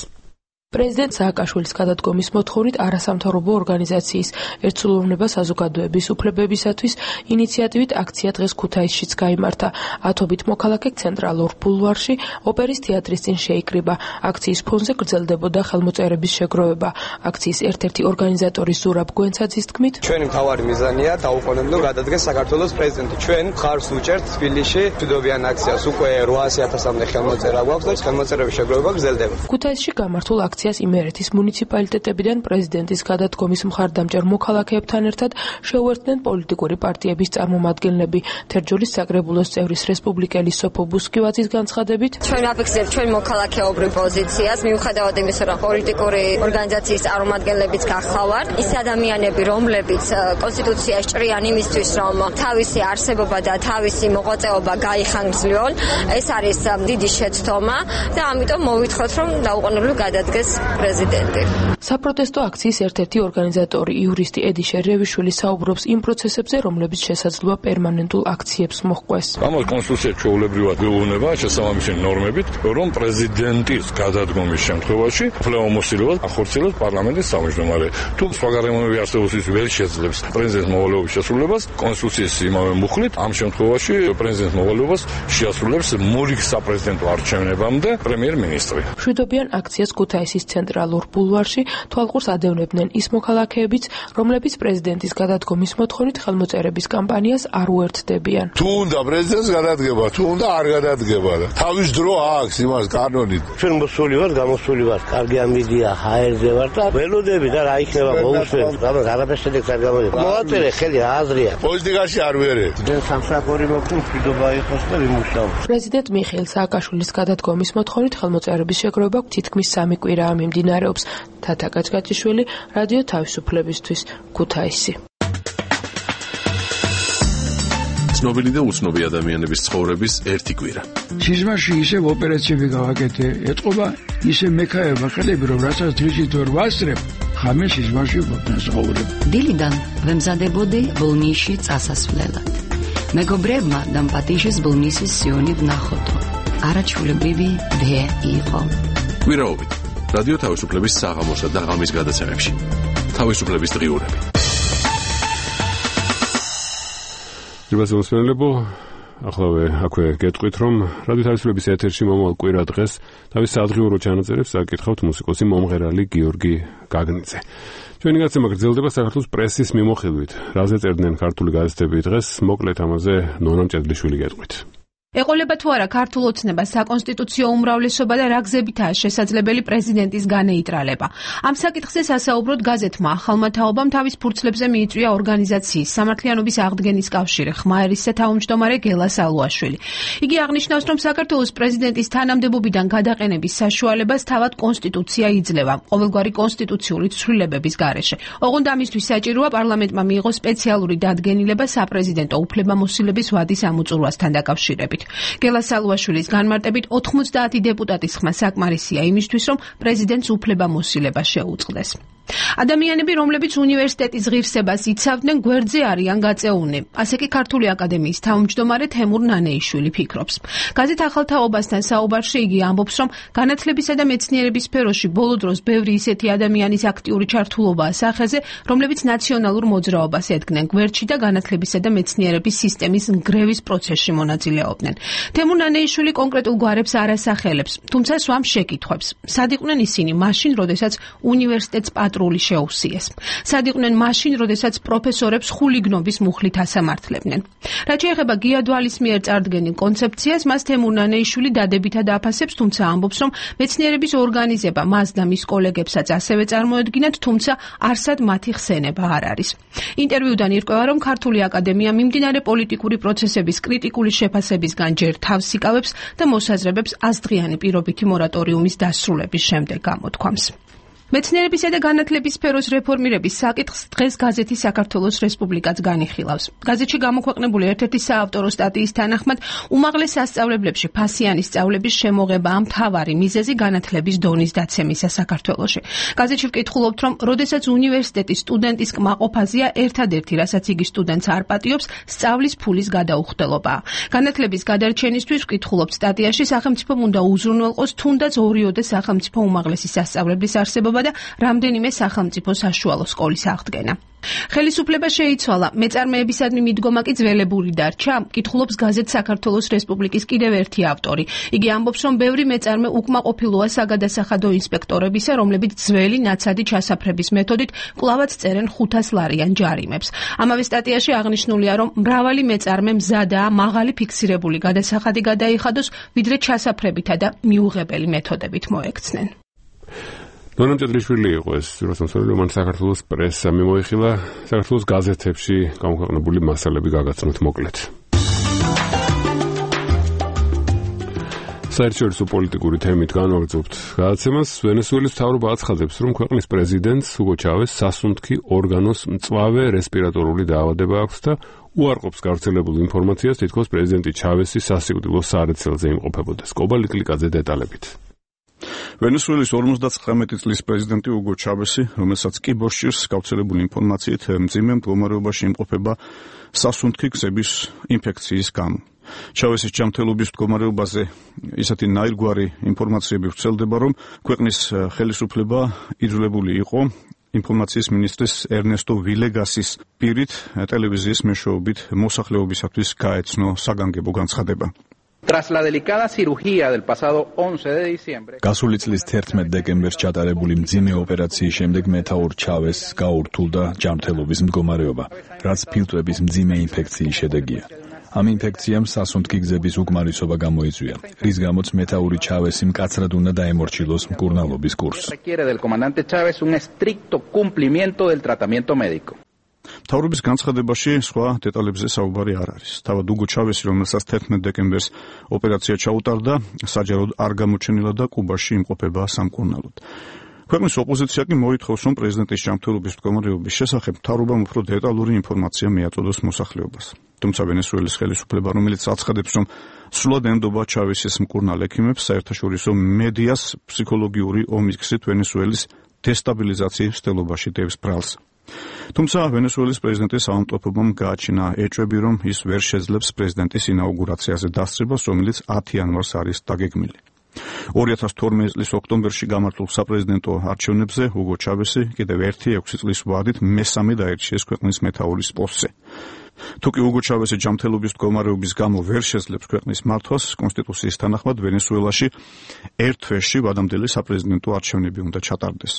პრეზიდენტ სააკაშვილის გადადგომის მოთხოვნით არასამთავრობო ორგანიზაციის ერთსულოვნება საზოგადოების უფლებებისათვის ინიციატივით აქცია დღეს ქუთაისშიც გაიმართა. ათობით მოქალაქე ცენტრალურ ბულვარში ოპერის თეატრის წინ შეიკრიბა. აქციის ფონზე გრძელდებოდა ხელმოწერების შეგროვება. აქციის ერთ-ერთი ორგანიზატორი ზურაბ გვენცაძის თქმით, ჩვენი მთავარი მიზანია დაუყოვნებლივ გადადგეს საქართველოს პრეზიდენტი. ჩვენ ხარს უჭერთ თბილისში მშვიდობიან აქციას. უკვე 800.000-მდე ხელმოწერა გვაქვს და ხელმოწერების შეგროვება გრძელდება. ქუთაისში გამართულ აქციას იმერეთის მუნიციპალიტეტებიდან პრეზიდენტის გადადგომის მხარდამჭერ მოქალაქეებთან ერთად შეუერთდნენ პოლიტიკური პარტიების წარმომადგენლები. თერჯოლის საკრებულოს წევრის რესპუბლიკელი სოფო ბუსკივაძის განცხადებით, ჩვენ აფიქსებთ ჩვენ მოქალაქეობრივ პოზიციას, მიუხედავად იმისა, რომ პოლიტიკური ორგანიზაციის წარმომადგენლებიც გახლავართ, ის ადამიანები, რომლებიც კონსტიტუციაში ჭრიან იმისთვის, რომ თავისი არსებობა და თავისი მოღვაწეობა გაიხანგრძლივონ, ეს არის დიდი შეცდომა და ამიტომ მოვითხოვთ, რომ დაუყოვნებლივ გადადგეს პრეზიდენტი. საპროტესტო აქციის ერთ-ერთი ორგანიზატორი იურისტი ედი შერევიშვილი საუბრობს იმ პროცესებზე, რომლებიც შესაძლოა პერმანენტულ აქციებს მოჰყვეს. ამ კონსტიტუციაში ჩვეულებრივად გვეუბნება შესაბამისი ნორმებით, რომ პრეზიდენტის გადადგომის შემთხვევაში უფლებამოსილებას ახორციელებს პარლამენტის თავმჯდომარე. თუ სხვა გარემოებები არსებობს, ის ვერ შეძლებს პრეზიდენტის მოვალეობის შესრულებას, კონსტიტუციის იმავე მუხლით ამ შემთხვევაში პრეზიდენტის მოვალეობას შეასრულებს მორიგ საპრეზიდენტო არჩევნებამდე პრემიერ-მინისტრი. მშვიდობიან აქციას ქუთაისის ცენტრალურ ბულვარში თვალყურს ადევნებდნენ ის მოქალაქეებიც, რომლებიც პრეზიდენტის გადადგომის მოთხოვნით ხელმოწერების კამპანიას არ უერთდებიან. თუ უნდა პრეზიდენტს გადადგება, თუ უნდა არ გადადგება, ეხება და თავის დრო აქვს იმას კანონით. ჩვენ მოსული ვარ, გამოსული ვარ. კარგი ამბიდია, ჰაერზე ვარ და ველოდები და რა იქნება მოусვენ. რამე არაფერს შედეგს არ გამოდის. მოაწერე ხელი აზრია. პოლიტიკაში არ ვერეთ. ჩვენ სამსახური მოგვი მშვიდობა იყოს და ვიმუშაოთ. პრეზიდენტ მიხეილ სააკაშვილის გადადგომის მოთხოვნით ხელმოწერების შეგროვება თითქმის 3 კვირაა მიმდინარეობს. თათა კაჭკაჭიშვილი, რადიო თავისუფლებისთვის, ქუთაისი. ცნობილი და უცნობი ადამიანების ცხოვრების ერთი კვირა. სიზმარში ისევ ოპერაციები გავაკეთე, ეთყობა ისე მექაება ხელები, რომ რასაც დღისით ვერ ვასწრებ, ხამე სიზმარში ვცხოვრებ. დილიდან ვემზადებოდი ბოლნისში წასასვლელად. მეგობრებმა დამპატიჟეს ბოლნისის სიონი ვნახოთო. არაჩვეულებრივი დე იყო. კვირაობით რადიო თავისუფლების საღამოსა და ღამის გადაცემებში. თავისუფლების დღიურები. ძირბასმოსმენლებო, ახლავე აქვე გეტყვით, რომ რადიო თავისუფლების ეთერში მომავალ კვირა დღეს თავის სადღიურო ჩანაწერებს აკითხავთ მუსიკოსი მომღერალი გიორგი გაგნიძე. ჩვენი გაცემა გრძელდება საქართველოს პრესის მიმოხილვით. რაზე წერდნენ ქართული გაზეთები დღეს, მოკლედ ამაზე ნონა მჭედლიშვილი გეტყვით. ეყოლება თუ არა ქართულ ოცნებას საკონსტიტუციო უმრავლესობა და რა გზებითაა შესაძლებელი პრეზიდენტის განეიტრალება. ამ საკითხზე სასაუბროდ გაზეთმა ახალმა თაობამ თავის ფურცლებზე მიიწვია ორგანიზაციის სამართლიანობის აღდგენის კავშირი ხმაერისსა თავმჯდომარე გელა სალუაშვილი. იგი აღნიშნავს, რომ საქართველოს პრეზიდენტის თანამდებობიდან გადაყენების საშუალებას თავად კონსტიტუცია იძლევა ყოველგვარი კონსტიტუციური ცვლილებების გარეშე. ოღონდ ამისთვის საჭიროა პარლამენტმა მიიღოს სპეციალური დადგენილება საპრეზიდენტო უფლებამოსილების ვადის ამოწურვასთან დაკავშირებით. გელა სალუაშვილის განმარტებით 90 დეპუტატის ხმა საკმარისია იმისთვის, რომ პრეზიდენტს უფლებამოსილება შეუწყდეს. ადამიანები, რომლებიც უნივერსიტეტის ღირსებას იცავდნენ, გვერდზე არიან გაწეულნი. ასე კი ქართული აკადემიის თავმჯდომარე თემურ ნანეიშვილი ფიქრობს. გაზეთ ახალ თაობასთან საუბარში იგი ამბობს, რომ განათლებისა და მეცნიერების სფეროში ბოლო დროს ბევრი ისეთი ადამიანის აქტიური ჩართულობაა სახეზე, რომლებიც ნაციონალურ მოძრაობას ედგნენ გვერდში და განათლებისა და მეცნიერების სისტემის ნგრევის პროცესში მონაწილეობდნენ. თემურ ნანეიშვილი კონკრეტულ გვარებს არ ასახელებს, თუმცა სვამს შეკითხვებს. სად იყვნენ ისინი მაშინ, როდესაც უნივერსიტეტს პატრული შეუსიეს. სად იყვნენ მაშინ, როდესაც პროფესორებს ხულიგნობის მუხლით ასამართლებდნენ. რაც შეეხება გიადვალის მიერ წარდგენილ კონცეფციას, მას თემურ ნანეიშვილი დადებითად აფასებს, თუმცა ამბობს, რომ მეცნიერების ორგანიზება მას და მის კოლეგებსაც ასევე წარმოედგინათ, თუმცა არსად მათი ხსენება არ არის. ინტერვიუდან ირკვევა, რომ ქართული აკადემია მიმდინარე პოლიტიკური პროცესების კრიტიკული შეფასებისგან ჯერ თავს იკავებს და მოსაზრებებს აზღიანი პირობითი მორატორიუმის დასრულების შემდეგ გამოთქვამს. მეცნიერებისა და განათლების სფეროს რეფორმირების საკითხს დღეს გაზეთი საქართველოს რესპუბლიკაც განიხილავს. გაზეთში გამოქვეყნებული ერთ-ერთი საავტორო სტატიის თანახმად, უმაღლეს სასწავლებლებში ფასიანი სწავლების შემოღებაა მთავარი მიზეზი განათლების დონის დაცემისა საქართველოში. გაზეთში ვკითხულობთ, რომ როდესაც უნივერსიტეტის სტუდენტის კმაყოფაზია ერთადერთი, რასაც იგი სტუდენტს არ პატიობს, სწავლის ფულის გადაუხდელობაა. განათლების გადარჩენისთვის ვკითხულობთ სტატიაში, სახელმწიფომ უნდა უზრუნველყოს თუნდაც 2-ოდე სახელმწიფო უმაღლესი სასწავლებლის არსებობა და რამდენიმე სახელმწიფო საშუალო სკოლის აღდგენა. ხელისუფლება შეიცვალა, მეწარმეებისადმი მიდგომა კი ძველებული დარჩა, კითხულობს გაზეთ საქართველოს რესპუბლიკის კიდევ ერთი ავტორი. იგი ამბობს, რომ ბევრი მეწარმე უკმაყოფილოა საგადასახადო ინსპექტორებისა, რომლებიც ძველი ნაცადი ჩასაფრების მეთოდით კვლავაც წერენ 500 ლარიან ჯარიმებს. ამავე სტატიაში აღნიშნულია, რომ მრავალი მეწარმე მზადაა მაღალი ფიქსირებული გადასახადი გადაიხადოს, ვიდრე ჩასაფრებითა და მიუღებელი მეთოდებით მოექცნენ. ნონა მჭედლიშვილი იყო ეს რუსთაველი, რომ საქართველოს პრესა მიმოიხილა, საქართველოს გაზეთებში გამოქვეყნებული მასალები გაგაცნოთ მოკლედ. საერთაშორისო პოლიტიკური თემით განვაგრძობთ გადაცემას. ვენესუელის მთავრობა აცხადებს, რომ ქვეყნის პრეზიდენტს უგო ჩავეს სასუნთქი ორგანოს მწვავე რესპირატორული დაავადება აქვს და უარყოფს გავრცელებულ ინფორმაციას, თითქოს პრეზიდენტი ჩავესი სასიკვდილო სარეცელზე იმყოფებოდა. სკობა ლიკლიკაძე დეტალებით. ვენესუელის 59 წლის პრეზიდენტი უგო ჩავესი, რომელსაც კი ბოშჭირს გავრცელებული ინფორმაციით მძიმე მდგომარეობაში იმყოფება სასუნთქი გზების ინფექციის გამო. ჩავესის ჯანმრთელობის მდგომარეობაზე ისეთი ნაირგვარი ინფორმაციები ვრცელდება, რომ ქვეყნის ხელისუფლება იძულებული იყო ინფორმაციის მინისტრის ერნესტო ვილეგასის პირით ტელევიზიის მეშვეობით მოსახლეობისათვის გაეცნო საგანგებო განცხადება. Tras la delicada cirugía del pasado 11 de diciembre. გასული წლის 11 დეკემბერს ჩატარებული მძიმე ოპერაციის შემდეგ მეთაურ ჩავესს გაურთულდა ჯანმრთელობის მდგომარეობა, რაც ფილტრების მძიმე ინფექციის შედეგია. ამ ინფექციამ სასუნთქი გზების უკმარისობა გამოიწვია, რის გამოც მეთაური ჩავესი მკაცრად უნდა დაემორჩილოს მკურნალობის კურსს. მთავრობის განცხადებაში სხვა დეტალებზე საუბარი არ არის. თავად უგო ჩავესი, რომელსაც 11 დეკემბერს ოპერაცია ჩაუტარდა, საჯაროდ არ გამოჩენილა და კუბაში იმყოფება სამკურნალოდ. ქვეყნის ოპოზიცია კი მოითხოვს, რომ პრეზიდენტის ჯანმრთელობის მდგომარეობის შესახებ მთავრობამ უფრო დეტალური ინფორმაცია მიაწოდოს მოსახლეობას. თუმცა ვენესუელის ხელისუფლება, რომელიც აცხადებს, რომ სრულად ემდობა ჩავესის მკურნალ ექიმებს, საერთაშორისო მედიას ფსიქოლოგიური ომის გზით ვენესუელის დესტაბილიზაციის მცდელობაში დევს ბრალს. თუმცა ვენესუელის პრეზიდენტის ავადმყოფობამ გააჩინა ეჭვები, რომ ის ვერ შეძლებს პრეზიდენტის ინაუგურაციაზე დასწრებას, რომელიც 10 იანვარს არის დაგეგმილი. 2012 წლის ოქტომბერში გამართულ საპრეზიდენტო არჩევნებზე უგო ჩავესი კიდევ ერთი 6 წლის ვადით მესამე დაირჩიეს ქვეყნის მეთაურის პოსტზე. თუკი უგო ჩავესი ჯანმრთელობის მდგომარეობის გამო ვერ შეძლებს ქვეყნის მართვას, კონსტიტუციის თანახმად ვენესუელაში ერთ თვეში ვადამდელი საპრეზიდენტო არჩევნები უნდა ჩატარდეს.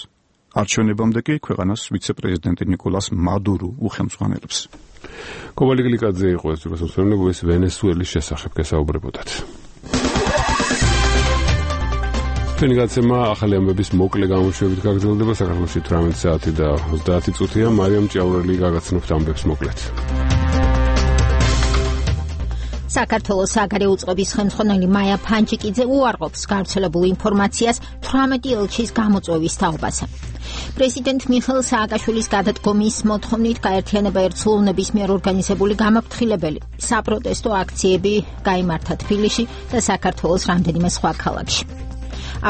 არჩევნებამდე კი ქვეყანას ვიცე-პრეზიდენტი ნიკოლას მადურო უხელმძღვანელებს. კობალი გლიკაძე იყო ეს რუსეთის ვენესუელის შესახებ გესაუბრებოდათ. ჩვენი გაცემა ახალი ამბების მოკლე გამოშვებით გაგრძელდება. საქართველოში 18 საათი და 30 წუთია. მარიამ ჭიაურელი გაგაცნობთ ამბებს მოკლედ. საქართველოს საგარეო უწყების ხელმძღვანელი მაია ფანჯიკიძე უარყოფს გავრცელებულ ინფორმაციას 18 ელჩის გამოწვევის თაობაზე. პრეზიდენტ მიხეილ სააკაშვილის გადადგომის მოთხოვნით გაერთიანება ერთსულოვნების მიერ ორგანიზებული გამაფრთხილებელი საპროტესტო აქციები გაიმართა თბილისში და საქართველოს რამდენიმე სხვა ქალაქში.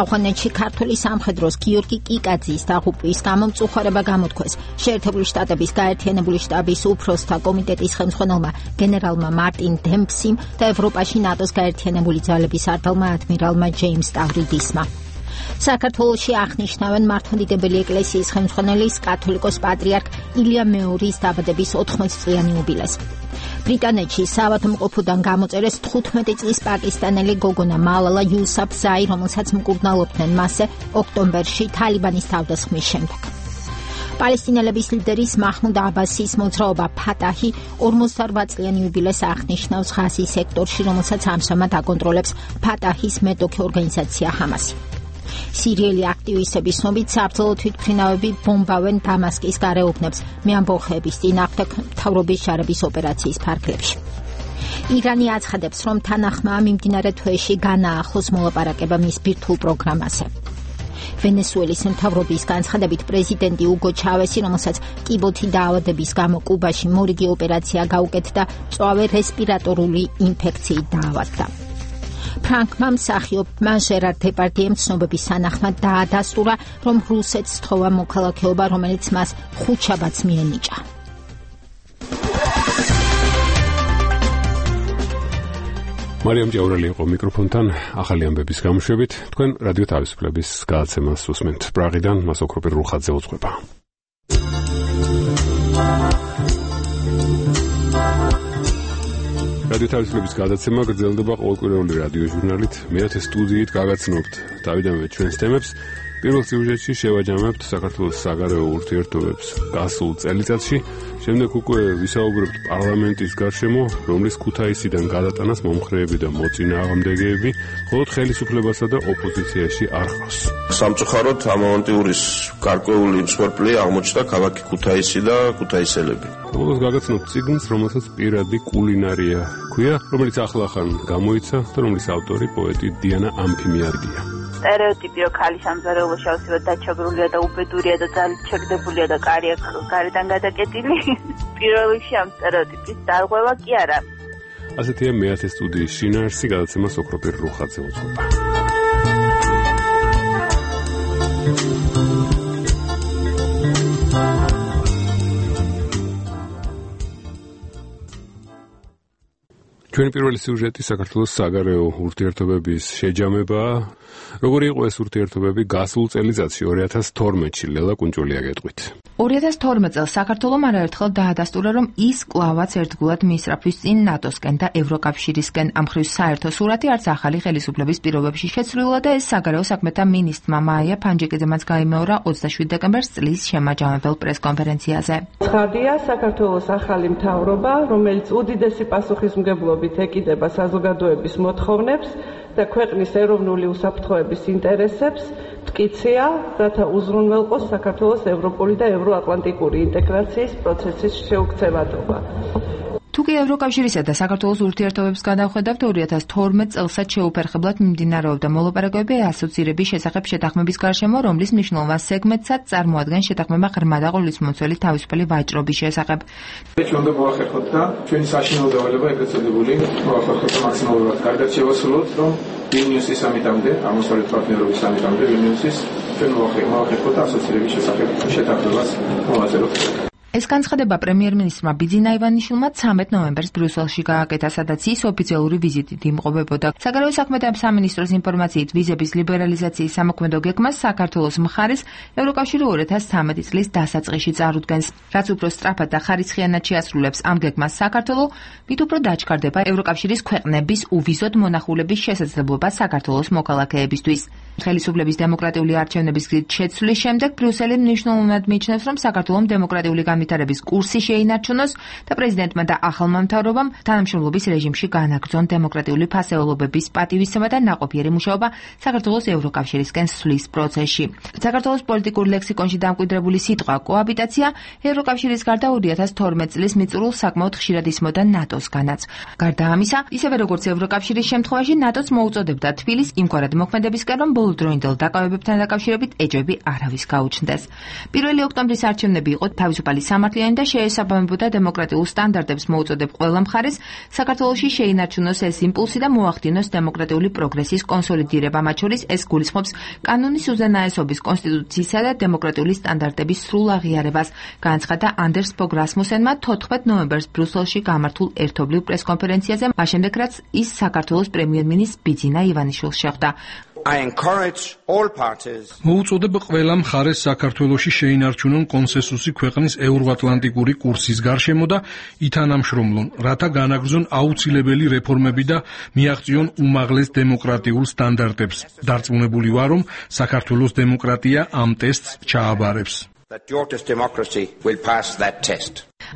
ავღანეთში ქართული სამხედროს გიორგი კიკაძის დაღუპვის გამო მწუხარება გამოთქვეს შეერთებული შტატების გაერთიანებული შტაბის უფროსთა კომიტეტის ხელმძღვანელმა გენერალმა მარტინ დემპსიმ და ევროპაში ნატოს გაერთიანებული ძალების არტელმა ადმირალმა ჯეიმს სტავრიდისმა. საქართველოში აღნიშნავენ მართლმადიდებელი ეკლესიის ხელმძღვანელის კათოლიკოს პატრიარქ ილია მეორის დაბადების 80 წლიანი იუბილეს. ბრიტანეთში საავადმყოფოდან გამოწერეს 15 წლის პაკისტანელი გოგონა მალალა იუსაფზაი, რომელსაც მკურნალობდნენ მასზე ოქტომბერში თალიბანის თავდასხმის შემდეგ. პალესტინელების ლიდერის მაჰმუდ აბასის მოძრაობა ფატაჰი 48 წლიანი იუბილეს აღნიშნავს ღაზის სექტორში, რომელსაც ამჟამად აკონტროლებს ფატაჰის მეტოქე ორგანიზაცია ჰამასი. სირიელი აქტივისტების ცნობით საბრძოლო თვითმფრინავები ბომბავენ დამასკის გარეუბნებს მეამბოხეების წინააღმდეგ მთავრობის შარების ოპერაციის ფარგლებში. ირანი აცხადებს, რომ თანახმა მიმდინარე თვეში განაახლოს მოლაპარაკება მის ბირთვულ პროგრამაზე. ვენესუელის მთავრობის განცხადებით პრეზიდენტი უგო ჩავესი, რომელსაც კიბოთი დაავადების გამო კუბაში მორიგი ოპერაცია გაუკეთდა, მწვავე რესპირატორული ინფექციით დაავადდა. ფრანკმა მსახიობმა ჟერარ დეპარდიემ ცნობების თანახმად დაადასტურა, რომ რუსეთს სთხოვა მოქალაქეობა, რომელიც მას ხუთშაბათს მიენიჭა. მარიამ ჭიაურელი იყო მიკროფონთან ახალი ამბების გამოშვებით. თქვენ რადიო თავისუფლების გადაცემას უსმენთ. პრაღიდან მას ოქროპირ რუხაძე უძღვება. რადიო თავისუფლების გადაცემა გრძელდება ყოველკვირეული რადიო ჟურნალით. მეათე სტუდიით გაგაცნობთ დავიდანვე ჩვენს თემებს. პირველ სიუჟეტში შევაჯამებთ საქართველოს საგარეო ურთიერთობებს გასულ წელიწადში. შემდეგ უკვე ვისაუბრებთ პარლამენტის გარშემო, რომლის ქუთაისიდან გადატანას მომხრეები და მოწინააღმდეგეები, ხოლო ხელისუფლებასა და ოპოზიციაში არ ხავს. სამწუხაროდ ამავანტიურის გარკვეული მსხვერპლი აღმოჩნდა ქალაქი ქუთაისი და ქუთაისელები. ბოლოს გაგაცნობთ წიგნს, რომელსაც პირადი კულინარია ქვია, რომელიც ახლახან გამოიცა და რომლის ავტორი პოეტი დიანა ამფიმიადია. სტერეოტიპი, რომ ქალი სამზარეულოში ავსებად დაჩაგრულია და უბედურია და ძალით ჩაგდებულია და კარი აქვს გარედან გადაკეტილი. პირველ რიგში ამ სტერეოტიპის დარღვევა კი არა. ასეთია მეათე სტუდიის შინაარსი, გადაცემას ოქროპირ რუხაძე უძღვება. ჩვენი პირველი სიუჟეტი საქართველოს საგარეო ურთიერთობების შეჯამებაა. როგორი იყო ეს ურთიერთობები გასულ წელიწადში 2012-ში ლელა კუნჭულია გეტყვით. 2012 წელს საქართველომ არაერთხელ დაადასტურა, რომ ის კლავაც ერთგულად მისწრაფვის წინ ნატოსკენ და ევროკავშირისკენ. ამ მხრივ საერთო სურათი არც ახალი ხელისუფლების პირობებში შეცვლილა და ეს საგარეო საქმეთა მინისტრმა მაია ფანჯიკიძემაც გაიმეორა 27 დეკემბერს წლის შემაჯამებელ პრესკონფერენციაზე. ცხადია, საქართველოს ახალი მთავრობა, რომელიც უდიდესი პასუხისმგებლობით ეკიდება საზოგადოების მოთხოვნებს და ქვეყნის ეროვნული უსაფრთხოების ინტერესებს, მტკიცეა, რათა უზრუნველყოს საქართველოს ევროპული და ევროატლანტიკური ინტეგრაციის პროცესის შეუქცევადობა. თუკი ევროკავშირისა და საქართველოს ურთიერთობებს გადავხედავთ, 2012 წელსაც შეუფერხებლად მიმდინარეობდა მოლაპარაკებები ასოცირების შესახებ შეთანხმების გარშემო, რომლის მნიშვნელოვან სეგმენტსაც წარმოადგენს შეთანხმება ღრმა და ყოვლისმომცველი თავისუფალი ვაჭრობის შესახებ. ჩვენ უნდა მოახერხოთ და ჩვენი საშინაო დავალება ეგრეთ წოდებული მოახერხოთ და მაქსიმალურად კარგად შევასრულოთ, რომ ვილნიუსის სამიტამდე, აღმოსავლეთ პარტნიორობის სამიტამდე ვილნიუსის ჩვენ მოახერხოთ და ასოცირების შესახებ შეთანხმებას მოვაწეროთ. ეს განცხადება პრემიერ-მინისტრმა ბიძინა ივანიშვილმა 13 ნოემბერს ბრიუსელში გააკეთა, სადაც ის ოფიციალური ვიზიტით იმყოფებოდა. საგარეო საქმეთა სამინისტროს ინფორმაციით, ვიზების ლიბერალიზაციის სამოქმედო გეგმას საქართველოს მხარეს ევროკავშირი 2013 წლის დასაწყისში წარუდგენს. რაც უფრო სწრაფად და ხარისხიანად შეასრულებს ამ გეგმას საქართველო, მით უფრო დაჩქარდება ევროკავშირის ქვეყნების უვიზოდ მონახულების შესაძლებლობა საქართველოს მოქალაქეებისთვის. ხელისუფლების დემოკრატიული არჩევნების გზით შეცვლის შემდეგ ბრიუსელი მნიშვნელოვნად მიიჩნევს, რომ საქართველოს დემოკრატიული განვითარების კურსი შეინარჩუნოს და პრეზიდენტმა და ახალმა მთავრობამ თანამშრომლობის რეჟიმში განაგრძონ დემოკრატიული ფასეულობების პატივისცემა და ნაყოფიერი მუშაობა საქართველოს ევროკავშირისკენ სვლის პროცესში. საქართველოს პოლიტიკურ ლექსიკონში დამკვიდრებული სიტყვა კოაბიტაცია ევროკავშირის გარდა 2012 წლის მიწურულს საკმაოდ ხშირად ისმოდა ნატოსგანაც. გარდა ამისა, ისევე როგორც ევროკავშირის შემთხვევაში ნატოს მოუწოდებდა თბილისს იმგვარად მოქმედებისკენ, რომ ბოლოდროინდელ დაკავებებთან დაკავშირებით ეჭვები არავის გაუჩნდეს. 1 ოქტომბრის არჩევნები იყო თავისუფალი სამართლიანი და შეესაბამებოდა დემოკრატიულ სტანდარტებს მოუწოდებ ყველა მხარეს საქართველოში შეინარჩუნოს ეს იმპულსი და მოახდინოს დემოკრატიული პროგრესის კონსოლიდირება, მათ შორის ეს გულისხმობს კანონის უზენაესობის, კონსტიტუციისა და დემოკრატიული სტანდარტების სრულ აღიარებას, განაცხადა ანდერს ფოგ რასმუსენმა 14 ნოემბერს ბრიუსელში გამართულ ერთობლივ პრესკონფერენციაზე, მას შემდეგ რაც ის საქართველოს პრემიერ-მინისტრ ბიძინა ივანიშვილს შეხვდა. მოუწოდებ ყველა მხარეს საქართველოში შეინარჩუნონ კონსენსუსი ქვეყნის ევროატლანტიკური კურსის გარშემო და ითანამშრომლონ, რათა განაგრძონ აუცილებელი რეფორმები და მიაღწიონ უმაღლეს დემოკრატიულ სტანდარტებს. დარწმუნებული ვარ, რომ საქართველოს დემოკრატია ამ ტესტს ჩააბარებს.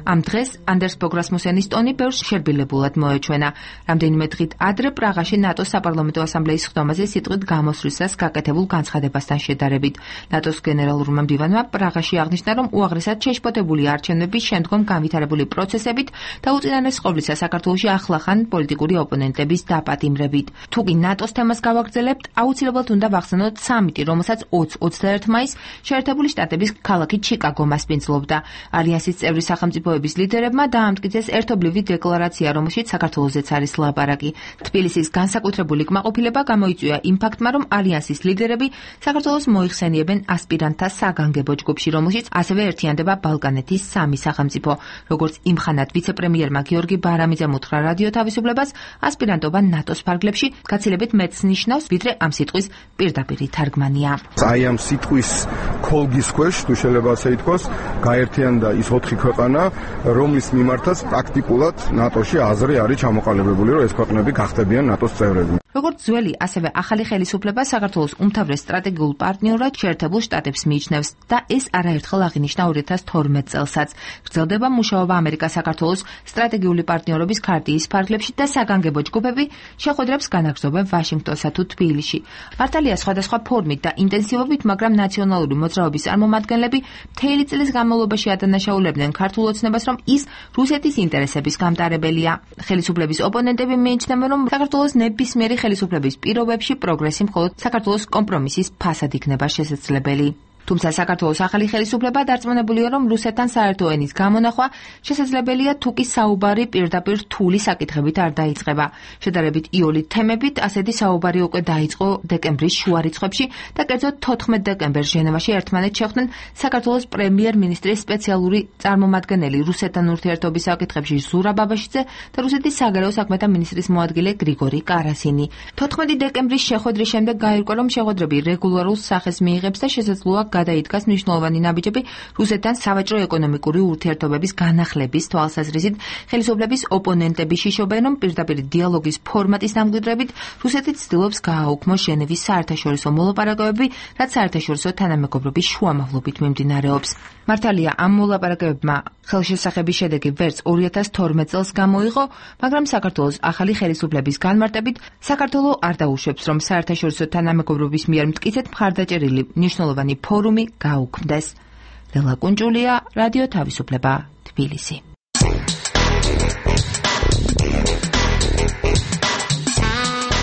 ამ დღეს ანდერს ფოგ რასმუსენის ტონი ბევრს შერბილებულად მოეჩვენა. რამდენიმე დღით ადრე პრაღაში ნატოს საპარლამენტო ასამბლეის ხდომაზე სიტყვით გამოსვლისას გაკეთებულ განცხადებასთან შედარებით. ნატოს გენერალურმა მდივანმა პრაღაში აღნიშნა, რომ უაღრესად შეშფოთებული არჩევნების შემდგომ განვითარებული პროცესებით და უწინარეს ყოვლისა საქართველოში ახლახან პოლიტიკური ოპონენტების დაპატიმრებით. თუკი ნატოს თემას გავაგრძელებთ, აუცილებლად უნდა ვახსენოთ სამიტი, რომელსაც 20-21 მაისს შეერთებული შტატების ქალაქი ჩიკაგო მასპინძლობდა. ალიანსის წევრი სახელმწიფოების ლიდერებმა დაამტკიცეს ერთობლივი დეკლარაცია, რომელშიც საქართველოსაც არის ლაპარაკი. თბილისის განსაკუთრებული კმაყოფილება გამოიწვია იმ ფაქტმა, რომ ალიანსის ლიდერები საქართველოს მოიხსენიებენ ასპირანტთა საგანგებო ჯგუფში, რომელშიც ასევე ერთიანდება ბალკანეთის 3 სახელმწიფო. როგორც იმხანად ვიცე-პრემიერმა გიორგი ბარამიძემ უთხრა რადიო თავისუფლებას, ასპირანტობა ნატოს ფარგლებში გაცილებით მეტს ნიშნავს, ვიდრე ამ სიტყვის პირდაპირი თარგმანია. აი ამ სიტყვის ქოლგის ქვეშ, თუ შეიძლება ასე ითქვას, გაერთიანდა ის 4 ქვეყანა, რომლის მიმართაც პრაქტიკულად ნატოში აზრი არის ჩამოყალიბებული, რომ ეს ქვეყნები გახდებიან ნატოს წევრები. როგორც ძველი, ასევე ახალი ხელისუფლება საქართველოს უმთავრეს სტრატეგიულ პარტნიორად შეერთებულ შტატებს მიიჩნევს და ეს არაერთხელ აღინიშნა 2012 წელსაც. გრძელდება მუშაობა ამერიკა-საქართველოს სტრატეგიული პარტნიორობის ქარტიის ფარგლებში და საგანგებო ჯგუფები შეხვედრებს განაგრძობენ ვაშინგტონსა თუ თბილისში. მართალია სხვადასხვა ფორმით და ინტენსივობით, მაგრამ ნაციონალური მოძრაობის წარმომადგენლები მთელი წლის განმავლობაში ადანაშაულებდნენ ქართულ ოცნებას, რომ ის რუსეთის ინტერესების გამტარებელია. ხელისუფლების ოპონენტები მიიჩნევენ, რომ საქართველოს ნებისმიერი ხელისუფლების პირობებში პროგრესი მხოლოდ საქართველოს კომპრომისის ფასად იქნება შესაძლებელი. თუმცა საქართველოს ახალი ხელისუფლება დარწმუნებულია, რომ რუსეთთან საერთო ენის გამონახვა შესაძლებელია თუკი საუბარი პირდაპირ რთული საკითხებით არ დაიწყება. შედარებით იოლით თემებით ასეთი საუბარი უკვე დაიწყო დეკემბრის შუა რიცხვებში და კერძოდ 14 დეკემბერს ჟენევაში ერთმანეთს შეხვდნენ საქართველოს პრემიერ-მინისტრის სპეციალური წარმომადგენელი რუსეთთან ურთიერთობის საკითხებში ზურაბ ბაბაშიძე და რუსეთის საგარეო საქმეთა მინისტრის მოადგილე გრიგორი კარასინი. 14 დეკემბრის შეხვედრის შემდეგ გაირკვა, რომ შეხვედრები რეგულარულ სახეს მიიღებს და შესაძლოა გადაიდგას მნიშვნელოვანი ნაბიჯები რუსეთთან სავაჭრო-ეკონომიკური ურთიერთობების განახლების თვალსაზრისით. ხელისუფლების ოპონენტები შიშობენ, რომ პირდაპირ დიალოგის ფორმატის დამკვიდრებით რუსეთი ცდილობს გააუქმოს ჟენევის საერთაშორისო მოლაპარაკებები, რაც საერთაშორისო თანამეგობრობის შუამავლობით მიმდინარეობს. მართალია, ამ მოლაპარაკებებმა ხელშესახების შედეგი ვერც 2012 წელს გამოიღო, მაგრამ საქართველოს ახალი ხელისუფლების განმარტებით საქართველო არ დაუშვებს, რომ საერთაშორისო თანამეგობრობის მიერ მტკიცედ მხარდაჭერილი მნიშვნელოვანი ფორუმი გაუქმდეს. ლელა კუნჭულია, რადიო თავისუფლება, თბილისი.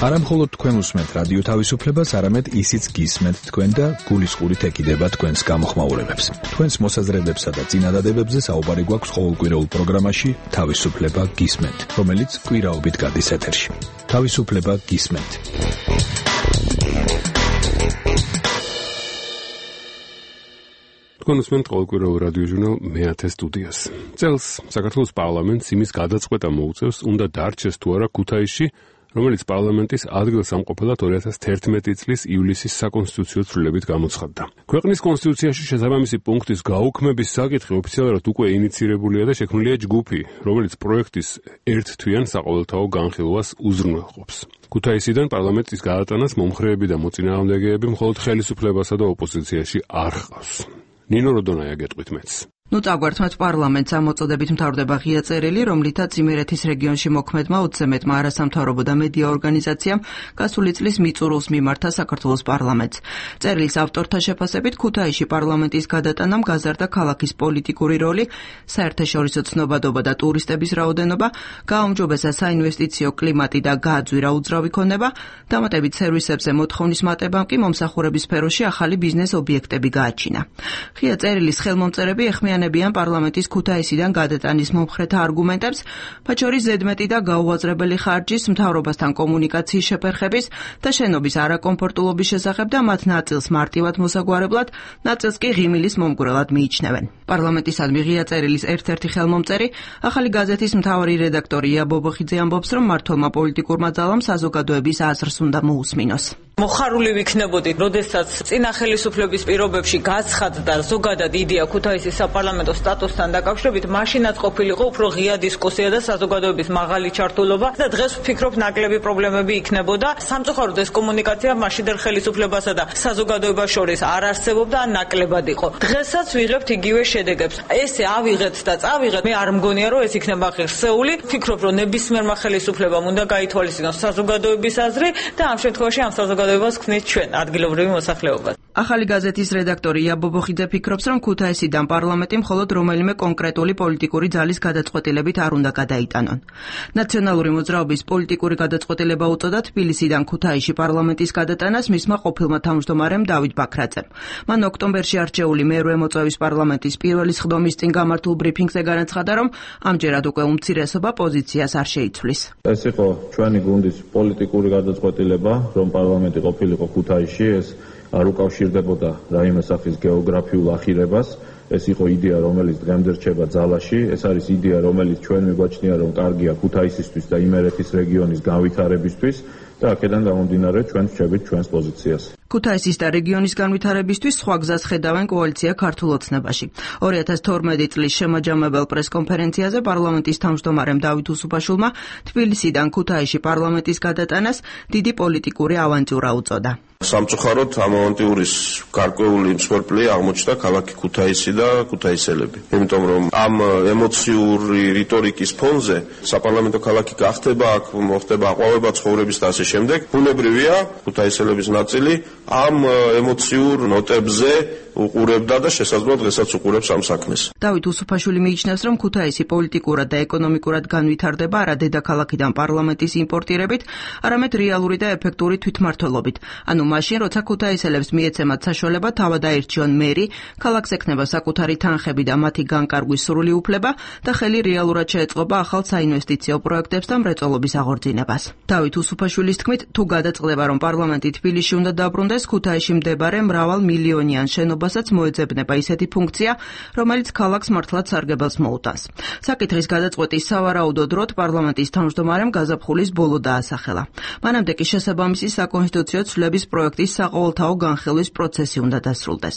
არა მხოლოდ თქვენ უსმენთ რადიო თავისუფლებას, არამედ ისიც გისმენთ თქვენ და გულისყურით ეკიდება თქვენს გამოხმაურებებს. თქვენს მოსაზრებებსა და წინადადებებზე საუბარი გვაქვს ყოველკვირეულ პროგრამაში თავისუფლება გისმენთ, რომელიც კვირაობით გადის ეთერში. თავისუფლება გისმენთ. თქვენ უსმენთ ყოველკვირეულ რადიო ჟურნალ მე-10 სტუდიას. წელს საქართველოს პარლამენტს იმის გადაწყვეტა მოუწევს, უნდა დარჩეს თუ არა ქუთაისში, რომელიც პარლამენტის ადგილსამყოფელად 2011 წლის ივლისის საკონსტიტუციო ცვლილებით გამოცხადდა. ქვეყნის კონსტიტუციაში შესაბამისი პუნქტის გაუქმების საკითხი ოფიციალურად უკვე ინიცირებულია და შექმნილია ჯგუფი, რომელიც პროექტის ერთთვიან საყოველთაო განხილვას უზრუნველყოფს. ქუთაისიდან პარლამენტის გადატანას მომხრეები და მოწინააღმდეგეები მხოლოდ ხელისუფლებასა და ოპოზიციაში არ ჰყავს. ნინო როდონაია გეტყვით მეც. წაგვართმეთ პარლამენტს ამოწოდებით მთავრდება ღია წერილი, რომლითაც იმერეთის რეგიონში მოქმედმა 20-მეტმა არასამთავრობო და მედია ორგანიზაციამ გასული წლის მიწურულს მიმართა საქართველოს პარლამენტს. წერილის ავტორთა შეფასებით ქუთაისში პარლამენტის გადატანამ გაზარდა ქალაქის პოლიტიკური როლი, საერთაშორისო ცნობადობა და ტურისტების რაოდენობა, გააუმჯობესა საინვესტიციო კლიმატი და გააძვირა უძრავი ქონება, დამატებით სერვისებზე მოთხოვნის მატებამ კი მომსახურების სფეროში ახალი ბიზნეს ობიექტები გააჩინა. ღია წერილის ხელმომწერები ეხმიანებიან პარლამენტის ქუთაისიდან გადატანის მომხრეთა არგუმენტებს, მათ შორის ზედმეტი და გაუაზრებელი ხარჯის, მთავრობასთან კომუნიკაციის შეფერხების და შენობის არაკომფორტულობის შესახებ და მათ ნაწილს მარტივად მოსაგვარებლად, ნაწილს კი ღიმილის მომგვრელად მიიჩნევენ. პარლამენტისადმი ღია წერილის ერთ-ერთი ხელმომწერი, ახალი გაზეთის მთავარი რედაქტორი ია ბობოხიძე ამბობს, რომ მმართველმა პოლიტიკურმა ძალამ საზოგადოების აზრს უნდა მოусმინოს. მოხარული ვიქნებოდი, როდესაც წინა ხელისუფლების პირობებში გაცხადდა ზოგადად იდეა ქუთაისის საპარლამენტო სტატუსთან დაკავშირებით, მაშინაც ყოფილიყო უფრო ღია დისკუსია და საზოგადოების მაღალი ჩართულობა და დღეს ვფიქრობ ნაკლები პრობლემები იქნებოდა. სამწუხაროდ ეს კომუნიკაცია მაშინდელ ხელისუფლებასა და საზოგადოებას შორის არ არსებობდა, ან ნაკლებად იყო. დღესაც ვიღებთ იგივე შედეგებს. ესე ავიღეთ და წავიღეთ, მე არ მგონია რომ ეს იქნება ღირსეული. ვფიქრობ რომ ნებისმიერმა ხელისუფლებამ უნდა გაითვალისწინოს საზოგადოების აზრი და ამ შემთხვევაში ამ საზოგადოებას ქმნით ჩვენ ადგილობრივი მოსახლეობა. ახალი გაზეთის რედაქტორი ია ბობოხიძე ფიქრობს, რომ ქუთაისიდან პარლამენტი მხოლოდ რომელიმე კონკრეტული პოლიტიკური ძალის გადაწყვეტილებით არ უნდა გადაიტანონ. ნაციონალური მოძრაობის პოლიტიკური გადაწყვეტილება უწოდა თბილისიდან ქუთაისში პარლამენტის გადატანას მისმა ყოფილმა თავმჯდომარემ დავით ბაქრაძემ. მან ოქტომბერში არჩეული მერვე მოწვევის პარლამენტის პირველი სხდომის წინ გამართულ ბრიფინგზე განაცხადა, რომ ამჯერად უკვე უმცირესობა პოზიციას არ შეიცვლის. ეს იყო ჩვენი გუნდის პოლიტიკური გადაწყვეტილება, რომ პარლამენტი ყოფილიყო ქუთაისში, ეს არ უკავშირდებოდა რაიმე სახის გეოგრაფიულ ახირებას. ეს იყო იდეა, რომელიც დღემდე რჩება ძალაში. ეს არის იდეა, რომელიც ჩვენ მიგვაჩნია, რომ კარგია ქუთაისისთვის და იმერეთის რეგიონის განვითარებისთვის და აქედან გამომდინარე ჩვენ ვჩებით ჩვენს პოზიციას. ქუთაისის და რეგიონის განვითარებისთვის სხვა გზას ხედავენ კოალიცია ქართულ ოცნებაში. 2012 წლის შემაჯამებელ პრესკონფერენციაზე პარლამენტის თავმჯდომარემ დავით უსუფაშვილმა თბილისიდან ქუთაისში პარლამენტის გადატანას დიდი პოლიტიკური ავანტიურა უწოდა. სამწუხაროდ ამ ავანტიურის გარკვეული მსხვერპლია აღმოჩნდა ქალაქი ქუთაისი და ქუთაისელები. იმიტომ რომ ამ ემოციური რიტორიკის ფონზე საპარლამენტო ქალაქი გახდება, აქ მოხდება აყვავება ცხოვრების და ასე შემდეგ. ბუნებრივია ქუთაისელების ნაწილი ამ ემოციურ ნოტებზე უყურებდა და შესაძლოა დღესაც უყურებს ამ საქმეს. დავით უსუფაშვილი მიიჩნევს, რომ ქუთაისი პოლიტიკურად და ეკონომიკურად განვითარდება არა დედაქალაქიდან პარლამენტის იმპორტირებით, არამედ რეალური და ეფექტური თვითმმართველობით. ანუ მაშინ, როცა ქუთაისელებს მიეცემათ საშუალება თავად აირჩიონ მერი, ქალაქს ექნება საკუთარი თანხები და მათი განკარგვის სრული უფლება და ხელი რეალურად შეეწყობა ახალ საინვესტიციო პროექტებს და მრეწველობის აღორძინებას. დავით უსუფაშვილის თქმით, თუ გადაწყდება, რომ პარლამენტი თბილისში უნდა დაბრუნდეს, ქუთაისში მდებარე მრავალ მილიონიან შენობასაც მოეძებნება ისეთი ფუნქცია, რომელიც ქალაქს მართლაც სარგებელს მოუტანს. საკითხის გადაწყვეტის სავარაუდო დროდ პარლამენტის თავმჯდომარემ გაზაფხულის ბოლო დაასახელა. მანამდე კი შესაბამისი საკონსტიტუციო ცვლილების პროექტის საყოველთაო განხილვის პროცესი უნდა დასრულდეს.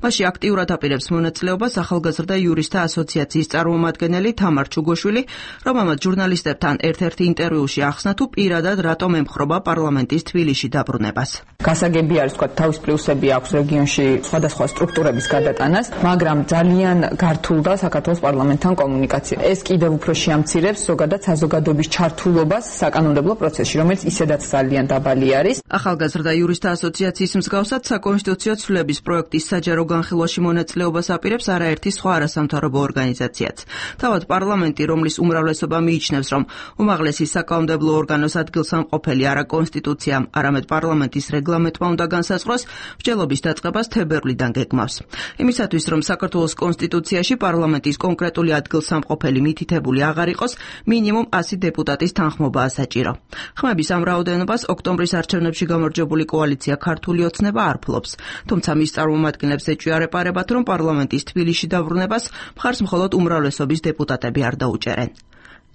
მასში აქტიურად აპირებს მონაწილეობას ახალგაზრდა იურისტთა ასოციაციის წარმომადგენელი თამარ ჩუგოშვილი, რომელმაც ჟურნალისტებთან ერთ-ერთ ინტერვიუში ახსნა, თუ პირადად რატომ ემხრობა პარლამენტის თბილისში დაბრუნებას. გასაგები არის, თქვა, თავის პლუსები აქვს რეგიონში სხვადასხვა სტრუქტურების გადატანას, მაგრამ ძალიან გართულდა საქართველოს პარლამენტთან კომუნიკაცია. ეს კიდევ უფრო შეამცირებს ზოგადად საზოგადოების ჩართულობას საკანონმდებლო პროცესში, რომელიც ისედაც ძალიან დაბალი არის. ახალგაზრდა იურისტთა ასოციაციის მსგავსად საკონსტიტუციო ცვლილების პროექტის საჯარო განხილვაში მონაწილეობას აპირებს არაერთი სხვა არასამთავრობო ორგანიზაციაც. თავად პარლამენტი, რომლის უმრავლესობა მიიჩნევს, რომ უმაღლესი საკანონმდებლო ორგანოს ადგილსამყოფელი არა კონსტიტუციამ, არამედ პარლამენტის რეგლამენტმა უნდა განსაზღვროს, მსჯელობის დაწყებას თებერვლიდან გეგმავს. იმისათვის, რომ საქართველოს კონსტიტუციაში პარლამენტის კონკრეტული ადგილსამყოფელი მითითებული აღარ იყოს, მინიმუმ 100 დეპუტატის თანხმობაა საჭირო. ხმების ამ რაოდენობას ოქტომბრის არჩევნებში გამარჯვებული კოალიცია ქართული ოცნება არ ფლობს, თუმცა მის წარმომადგენლებს ეჭვიარეპარებათ, რომ პარლამენტის თბილისში დაბრუნებას მხარს მხოლოდ უმრავლესობის დეპუტატები არ დაუჭერენ.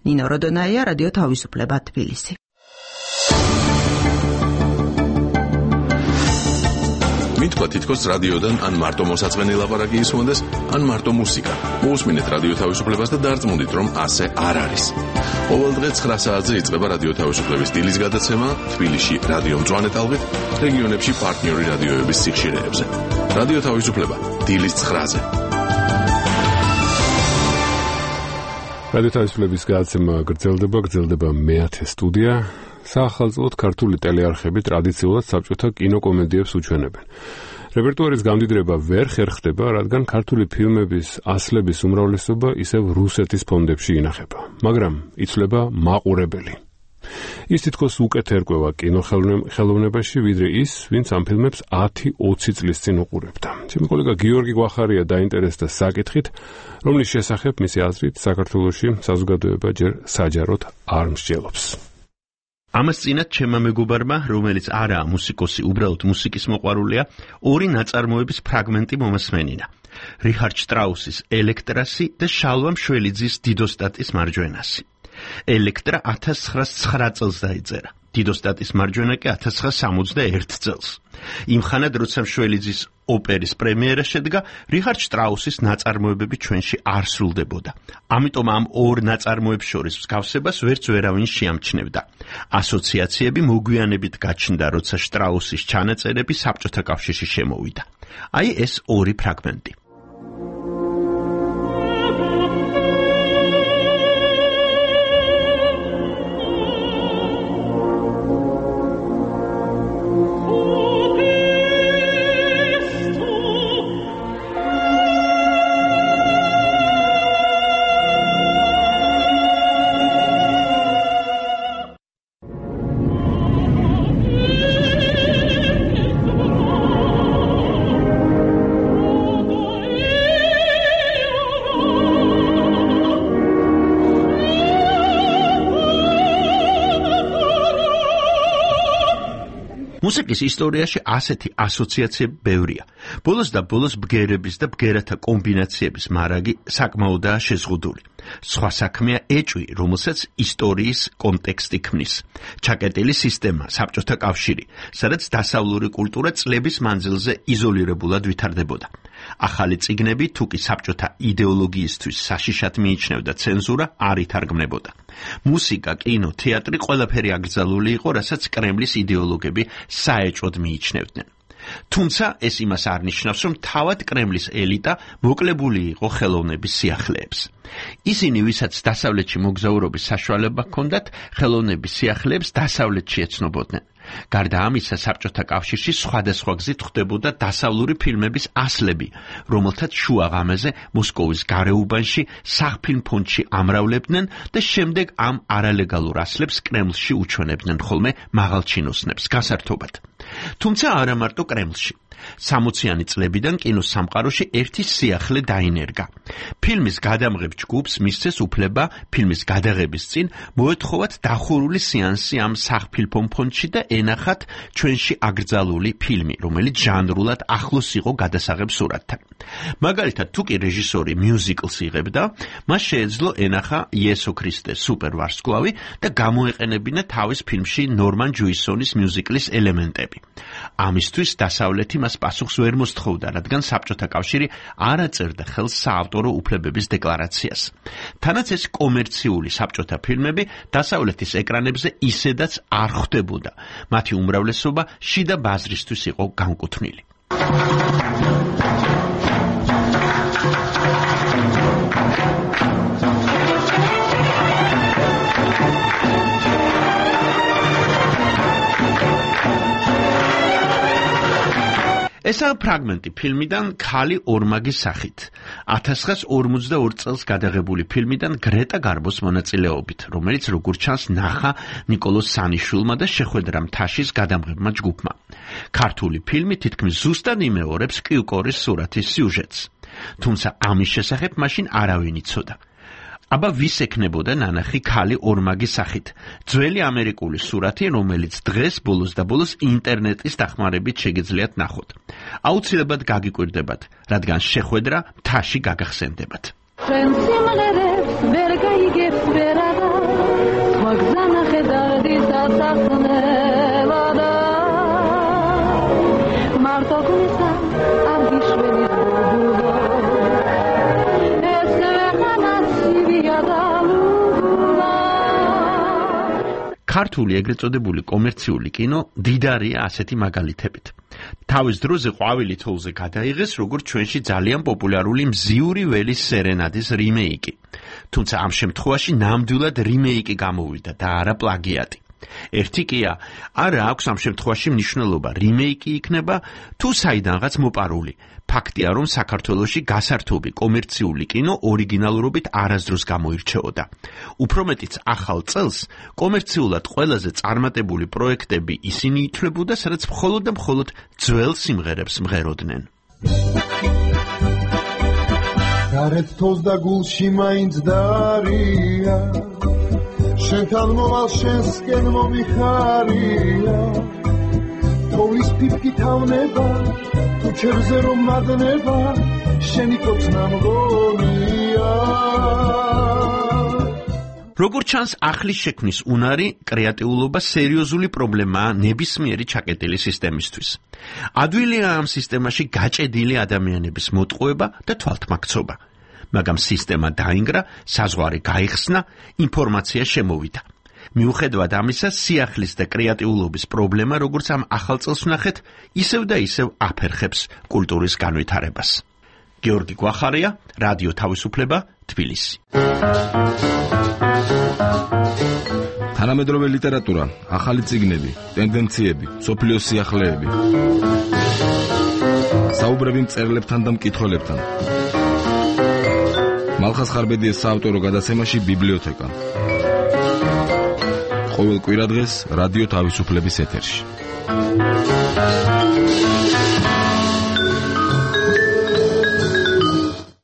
ნინო როდონაია, რადიო თავისუფლება, თბილისი. მითქვა თითქოს რადიოდან ან მარტო მოსაწყენი ლაპარაკი ისმოდეს, ან მარტო მუსიკა. მოусმინეთ რადიო თავისუფლებას და დარწმუნდით, რომ ასე არ არის. ყოველ დღე 9 საათზე იწყება რადიო თავისუფლების დილის გადაცემა თბილისში რადიო მწვანე ტალღით, რეგიონებში პარტნიორი რადიოების სიხშირეებზე. რადიო თავისუფლება დილის 9-ზე. რადიო თავისუფლების გადაცემა გრძელდება მე-10 სტუდია. საახალწლოდ ქართული ტელეარხები ტრადიციულად საბჭოთა კინოკომედიებს უჩვენებენ. რეპერტუარის გამდიდრება ვერ ხერხდება, რადგან ქართული ფილმების ასლების უმრავლესობა ისევ რუსეთის ფონდებში ინახება, მაგრამ იცვლება მაყურებელი. ის თითქოს უკეთ ერკვევა კინოხელოვნებაში, ვიდრე ის, ვინც ამ ფილმებს 10-20 წლის წინ უყურებდა. ჩემი კოლეგა გიორგი გვახარია დაინტერესდა საკითხით, რომლის შესახებ მისი აზრით საქართველოში საზოგადოება ჯერ საჯაროდ არ მსჯელობს. ამას წინათ ჩემმა მეგობარმა, რომელიც არაა მუსიკოსი, უბრალოდ მუსიკის მოყვარულია, ორი ნაწარმოების ფრაგმენტი მომასმენინა. რიჰარდ შტრაუსის ელექტრასი და შალვა მშველიძის დიდოსტატის მარჯვენასი. ელექტრა 1909 წელს დაიწერა. დიდოსტატის მარჯვენა კი 1961 წელს. იმხანად, როცა მშველიძის ოპერის პრემიერა შედგა, რიჰარდ შტრაუსის ნაწარმოებები ჩვენში არ სრულდებოდა. ამიტომ ამ ორ ნაწარმოებს შორის მსგავსებას ვერც ვერავინ შეამჩნევდა. ასოციაციები მოგვიანებით გაჩნდა, როცა შტრაუსის ჩანაწერები საბჭოთა კავშირში შემოვიდა. აი ეს ორი ფრაგმენტი. მუსიკის ისტორიაში ასეთი ასოციაციები ბევრია. ბოლოს და ბოლოს ბგერების და ბგერათა კომბინაციების მარაგი საკმაოდაა შეზღუდული. სხვა საქმეა ეჭვი, რომელსაც ისტორიის კონტექსტი ქმნის. ჩაკეტილი სისტემა, საბჭოთა კავშირი, სადაც დასავლური კულტურა წლების მანძილზე იზოლირებულად ვითარდებოდა. ახალი წიგნები, თუ კი საბჭოთა იდეოლოგიისთვის საშიშად მიიჩნევდა ცენზურა, არ ითარგმნებოდა. მუსიკა, კინო, თეატრი ყველაფერი აკრძალული იყო, რასაც კრემლის იდეოლოგები საეჭვოდ მიიჩნევდნენ. თუმცა ეს იმას არ ნიშნავს, რომ თავად კრემლის ელიტა მოკლებული იყო ხელოვნების სიახლეებს. ისინი, ვისაც დასავლეთში მოგზაურობის საშუალება ჰქონდათ, ხელოვნების სიახლეებს დასავლეთში ეცნობოდნენ. გარდა ამისა, საბჭოთა კავშირში სხვადასხვა გზით ხდებოდა დასავლური ფილმების ასლები, რომელთაც შუა ღამეზე მოსკოვის გარეუბანში სახფილმ ფონდში ამრავლებდნენ და შემდეგ ამ არალეგალურ ასლებს კრემლში უჩვენებდნენ ხოლმე მაღალჩინოსნებს გასართობად. თუმცა არა მარტო კრემლში. 60-იანი წლებიდან კინოს სამყაროში ერთი სიახლე დაინერგა. ფილმის გადამღებ ჯგუფს მისცეს უფლება ფილმის გადაღების წინ მოეთხოვათ დახურული სეანსი ამ სახფილმ ფონდში და ენახათ ჩვენში აკრძალული ფილმი, რომელიც ჟანრულად ახლოს იყო გადასაღებ სურათთან. მაგალითად, თუ კი რეჟისორი მიუზიკლს იღებდა, მას შეეძლო ენახა იესო ქრისტეს სუპერვარსკვლავი და გამოეყენებინა თავის ფილმში ნორმან ჯუისონის მიუზიკლის ელემენტები. ამისთვის დასავლეთი მას პასუხს ვერ მოსთხოვდა, რადგან საბჭოთა კავშირი არ აწერდა ხელს საავტორო უფლებების დეკლარაციას. თანაც ეს კომერციული საბჭოთა ფილმები დასავლეთის ეკრანებზე ისედაც არ ხვდებოდა. მათი უმრავლესობა შიდა ბაზრისთვის იყო განკუთვნილი. ესაა ფრაგმენტი ფილმიდან ქალი ორმაგის სახით. 1942 წელს გადაღებული ფილმიდან გრეტა გარბოს მონაწილეობით, რომელიც როგორც ჩანს ნახა ნიკოლოზ სანიშვილმა და შეხვედრა მთაშის გადამღებმა ჯგუფმა. ქართული ფილმი თითქმის ზუსტად იმეორებს კიუკორის სურათის სიუჟეტს. თუმცა ამის შესახებ მაშინ არავინ იცოდა. აბა ვის ექნებოდა ნანახი ქალი ორმაგის სახით? ძველი ამერიკული სურათი, რომელიც დღეს ბოლოს და ბოლოს ინტერნეტის დახმარებით შეგიძლიათ ნახოთ. აუცილებლად გაგიკვირდებათ, რადგან შეხვედრა მთაში გაგახსენდებათ. ქართული ეგრეთ წოდებული კომერციული კინო დიდარია ასეთი მაგალითებით. თავის დროზე ყვავილი თოვლზე გადაიღეს როგორც ჩვენში ძალიან პოპულარული მზიური ველის სერენადის რიმეიკი. თუმცა ამ შემთხვევაში ნამდვილად რიმეიკი გამოვიდა და არა პლაგიატი. ერთი კია, არა აქვს ამ შემთხვევაში მნიშვნელობა, რიმეიკი იქნება თუ საიდანღაც მოპარული. ფაქტია, რომ საქართველოში გასართობი კომერციული კინო ორიგინალურობით არასდროს გამოირჩეოდა. უფრო მეტიც ახალ წელს კომერციულად ყველაზე წარმატებული პროექტები ისინი ითვლებოდა, სადაც მხოლოდ და მხოლოდ ძველ სიმღერებს მღეროდნენ. გარეთ თოს და გულში მაინც დარია, შენთან მოვალ შენსკენ მომიხარია, თოვლის ფიფკი თავნება, თუ ჩერზე რომ მადნება, შენი კოცნა მგონია. როგორც ჩანს, ახლის შექმნის უნარი, კრეატიულობა სერიოზული პრობლემაა ნებისმიერი ჩაკეტილი სისტემისთვის. ადვილია ამ სისტემაში გაჭედილი ადამიანების მოტყუება და თვალთმაქცობა. მაგრამ სისტემა დაინგრა, საზღვარი გაიხსნა, ინფორმაცია შემოვიდა. მიუხედავად ამისა, სიახლის და კრეატიულობის პრობლემა, როგორც ამ ახალ წელს ვნახეთ, ისევ და ისევ აფერხებს კულტურის განვითარებას. გიორგი გვახარია, რადიო თავისუფლება, თბილისი. თანამედროვე ლიტერატურა, ახალი წიგნები, ტენდენციები, სოფლიოს სიახლეები. საუბრები მწერლებთან და მკითხველებთან. მალხაზ ხარბედიეს საავტორო გადაცემაში ბიბლიოთეკა. ყოველ კვირადღეს რადიო თავისუფლების ეთერში.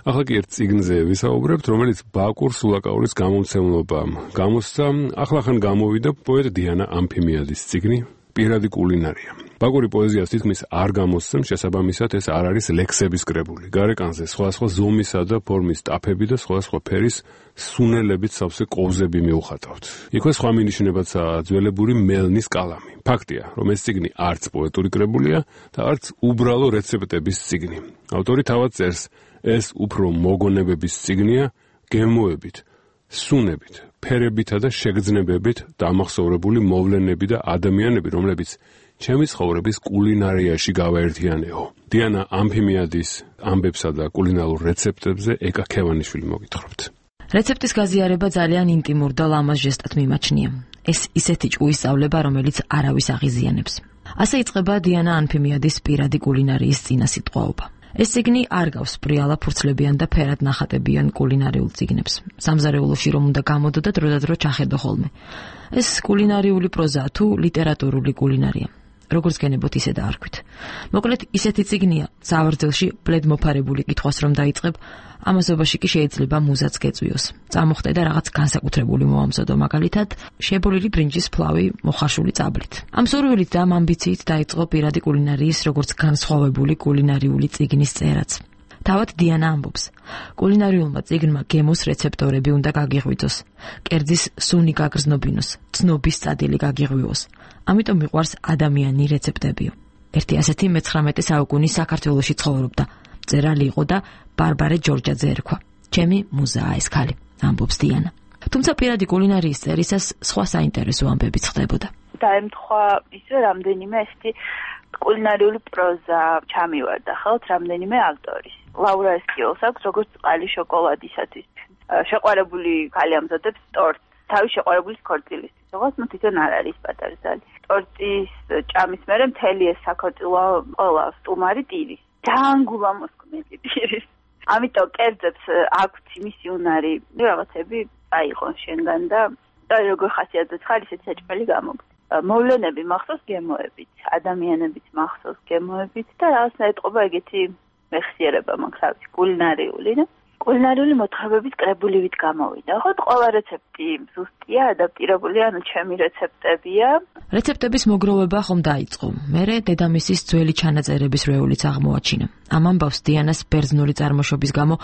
ახლა კი ერთ წიგნზე ვისაუბრებთ, რომელიც ბაკურ სულაკაურის გამომცემლობამ გამოსცა. ახლახან გამოვიდა პოეტ დიანა ამფიმიადის წიგნი პირადი კულინარია. ბაკური პოეზიას თითქმის არ გამოსცემს, შესაბამისად ეს არ არის ლექსების კრებული. გარეკანზე სხვადასხვა ზომისა და ფორმის ტაფები და სხვადასხვა ფერის სუნელებით სავსე კოვზები მიუხატავთ. იქვე სხვა მინიშნებაცაა ძველებური მელნის კალამი. ფაქტია, რომ ეს წიგნი არც პოეტური კრებულია და არც უბრალო რეცეპტების წიგნი. ავტორი თავად წერს, ეს უფრო მოგონებების წიგნია, გემოებით, სუნებით, ფერებითა და შეგრძნებებით დამახსოვრებული მოვლენები და ადამიანები, რომლებიც ჩემი ცხოვრების კულინარიაში გავაერთიანეო. დიანა ამფიმიადის ამბებსა და კულინარულ რეცეპტებზე ეკა ქევანიშვილი მოგითხრობთ. რეცეპტის გაზიარება ძალიან ინტიმურ და ლამაზ ჟესტად მიმაჩნია. ეს ისეთი ჭუისწავლება, რომელიც არავის აღიზიანებს. ასე იწყება დიანა ანფიმიადის პირადი კულინარიის წინასიტყვაობა. ეს წიგნი არ გავს პრიალა ფურცლებიან და ფერად ნახატებიან კულინარიულ წიგნებს. სამზარეულოში რომ უნდა გამოდო და დროდადრო ჩახედო ხოლმე. ეს კულინარიული პროზაა თუ ლიტერატურული კულინარია. როგორც გენებოთ ისე დაარქვით. მოკლედ ისეთი წიგნია, სავარძელში ბლედმოფარებული კითხვას რომ დაიწყებ, ამასობაში კი შეიძლება მუზაც გეწვიოს. წამოხტე და რაღაც განსაკუთრებული მოამზადო, მაგალითად, შებოლილი ბრინჯის ფლავი მოხარშული წაბლით. ამ სურვილით და ამ ამბიციით დაიწყო პირადი კულინარიის როგორც განსხვავებული კულინარიული წიგნის წერაც. თავად დიანა ამბობს, კულინარიულმა წიგნმა გემოს რეცეპტორები უნდა გაგიღვიძოს, კერძის სუნი გაგრძნობინოს, ცნობის წადილი გაგიღვიოს. ამიტომ მიყვარს ადამიანი რეცეპტებიო. ერთი ასეთი მე-19 საუკუნის საქართველოში ცხოვრობდა. მწერალი იყო და ბარბარე ჯორჯაძე ერქვა. ჩემი მუზაა ეს ქალი, ამბობს დიანა. თუმცა პირადი კულინარიის წერისას სხვა საინტერესო ამბებიც ხდებოდა. დაემთხვა ისე რამდენიმე ესეთი კულინარიული პროზა ჩამივარდა ხელთ რამდენიმე ავტორის. ლაურა ესკიოლს აქვს როგორც წყალი შოკოლადისათვის. შეყვარებული ქალი ამზადებს ტორტს, თავის შეყვარებულის ქორწილისთვის. როგორც ნუ თვითონ არ არის პატარა ზალი. ტორტის ჭამის მერე მთელი ეს საქორწილო ყველა სტუმარი ტირის. ძალიან გულამოსკვნელი ტირის. ამიტომ კერძებს აქვთ მისი უნარი, რაღაცები აიღონ შენგან და როგორ ხასიათებს ხარ ისეთი საჭმელი გამოგდ. მოვლენები მახსოვს გემოებით, ადამიანებიც მახსოვს გემოებით და რაღაცა ეტყობა ეგეთი მეხსიერება მაქვს კულინარიული და კულინარიული მოთხრობების კრებულივით გამოვიდა. ხო, ყველა რეცეპტი ზუსტია, ადაპტირებული, ანუ ჩემი რეცეპტებია. რეცეპტების მოგროვება ხომ დაიწყო. მერე დედამისის ძველი ჩანაწერების რეულიც აღმოაჩინა. ამ ამბავს დიანას ბერძნული წარმოშობის გამო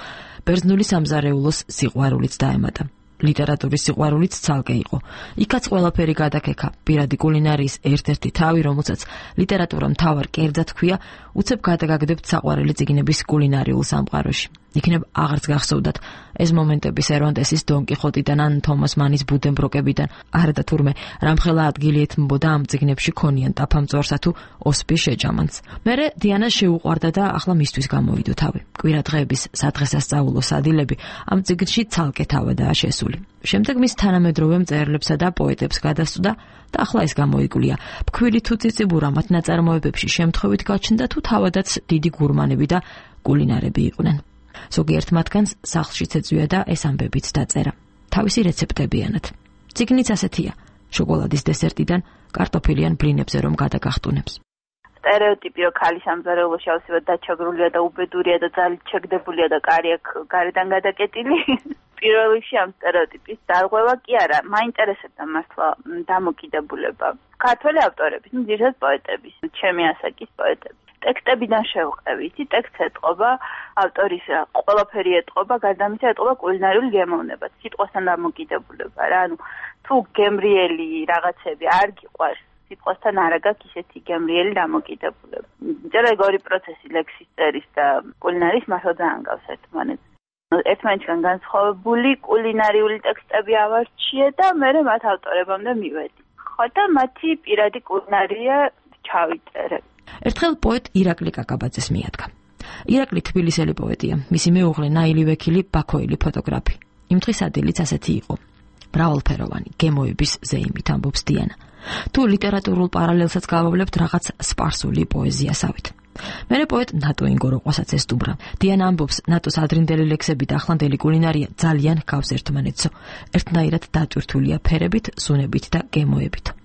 ბერძნული სამზარეულოს სიყვარულიც დაემატა. ლიტერატურის სიყვარულიც ცალკე იყო. იქაც ყველაფერი გადაკექა. პირადი კულინარიის ერთ-ერთი თავი, რომელსაც ლიტერატურა მთავარ კერძად ჰქვია, უცებ გადაგაგდებთ საყვარელი წიგნების კულინარიულ სამყაროში. იქნებ აღარც გახსოვდათ ეს მომენტები სერვანტესის დონ კიხოტიდან ან თომას მანის ბუდენბროკებიდან. არა და თურმე რამხელა ადგილი ეთმობოდა ამ წიგნებში ქონიან ტაფამწორსა თუ ოსპის შეჯამანს. მერე დიანას შეუყვარდა და ახლა მისთვის გამოვიდო თავი. კვირადღეების სადღესასწაულო სადილები ამ წიგნში ცალკე თავადაა შესული. შემდეგ მის თანამედროვე მწერლებსა და პოეტებს გადასწვდა და ახლა ეს გამოიკვლია. ფქვილი თუ ციციბურა მათ ნაწარმოებებში შემთხვევით გაჩნდა თუ თავადაც დიდი გურმანები და კულინარები იყვნენ. ზოგიერთ მათგანს სახლშიც ეწვია და ეს ამბებიც დაწერა. თავისი რეცეპტებიანად. წიგნიც ასეთია. შოკოლადის დესერტიდან კარტოფილიან ბლინებზე რომ გადაგახტუნებს. სტერეოტიპი რომ ქალი სამზარეულოში ავსებად დაჩაგრულია და უბედურია და ძალით შეგდებულია და კარი აქვს გარედან გადაკეტილი. პირველ რიგში ამ სტერეოტიპის დარღვევა კი არა, მაინტერესებდა მართლა დამოკიდებულება. ქართველი ავტორების, ძირითადად პოეტების, ჩემი ასაკის პოეტების. ტექსტებიდან შევყევი, იცი ტექსტს ეტყობა ავტორის ყველაფერი ეტყობა, გარდა ამისა ეტყობა კულინარიულ გემოვნებას, სიტყვასთან დამოკიდებულება რა, ანუ თუ გემრიელი რაღაცები არ გიყვარს, სიტყვასთან არ გაქვს ისეთი გემრიელი დამოკიდებულება. ძირეგორი პროცესი ლექსის წერის და კულინარიის მართლა ძალიან გავს ერთმანეთს. ერთმანეთისგან განსხვავებული კულინარიული ტექსტები ავარჩიე და მე მათ ავტორებამდე მივედი. ხო და მათი პირადი კულინარია ჩავიწერე. ერთხელ პოეტ ირაკლი კაკაბაძეს მიადგა. ირაკლი თბილისელი პოეტია, მისი მეუღლე ნაილი ვექილი ბაქოელი ფოტოგრაფი. იმ დღის ადილიც ასეთი იყო. მრავალფეროვანი, გემოების ზეიმით ამბობს დიანა. თუ ლიტერატურულ პარალელსაც გავავლებთ რაღაც სპარსული პოეზიასავით. მერე პოეტ ნატო ინგოროყვასაც ესტუმრა. დიანა ამბობს, ნატოს ადრინდელი ლექსები და ახლანდელი კულინარია ძალიან ჰგავს ერთმანეთსო. ერთნაირად დატვირთულია ფერებით, სუნებით და გემოებით.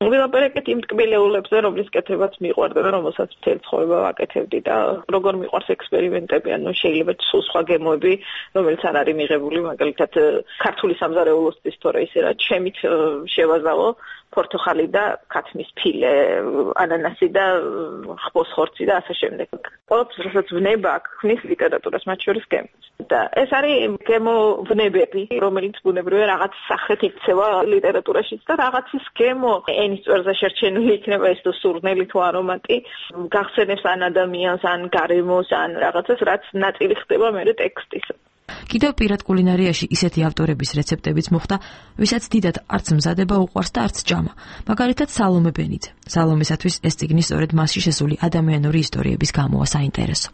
ვილაპარაკეთ იმ ტკბილეულებზე, რომლის კეთებაც მიყვარდა და რომელსაც მთელი ცხოვრება ვაკეთებდი და როგორ მიყვარს ექსპერიმენტები, ანუ შეიძლება სულ სხვა გემოები, რომელიც არ არის მიღებული, მაგალითად ქართული სამზარეულოს ისტორია ისე რა ჩემით შევაზავო პორტოხალი და ქათმის ფილე, ანანასი და ხბოს ხორცი და ასე შემდეგ. ყოველთვის რასაც ვნება ქმნის ლიტერატურას, მათ შორის გემოს. და ეს არის გემოვნებები, რომელიც ბუნებრივია რაღაც სახით იქცევა ლიტერატურაშიც და რაღაცის გემო ენის წვერზე შერჩენილი იქნება ეს თუ სურნელი თუ არომატი, გახსენებს ან ადამიანს, ან გარემოს, ან რაღაცას, რაც ნაწილი ხდება მერე ტექსტისა. კიდევ პირად კულინარიაში ისეთი ავტორების რეცეპტებიც მოხდა, ვისაც დიდად არც მზადება უყვარს და არც ჭამა. მაგალითად სალომე ბენიძე. სალომესათვის ეს წიგნი სწორედ მასში შესული ადამიანური ისტორიების გამოა საინტერესო.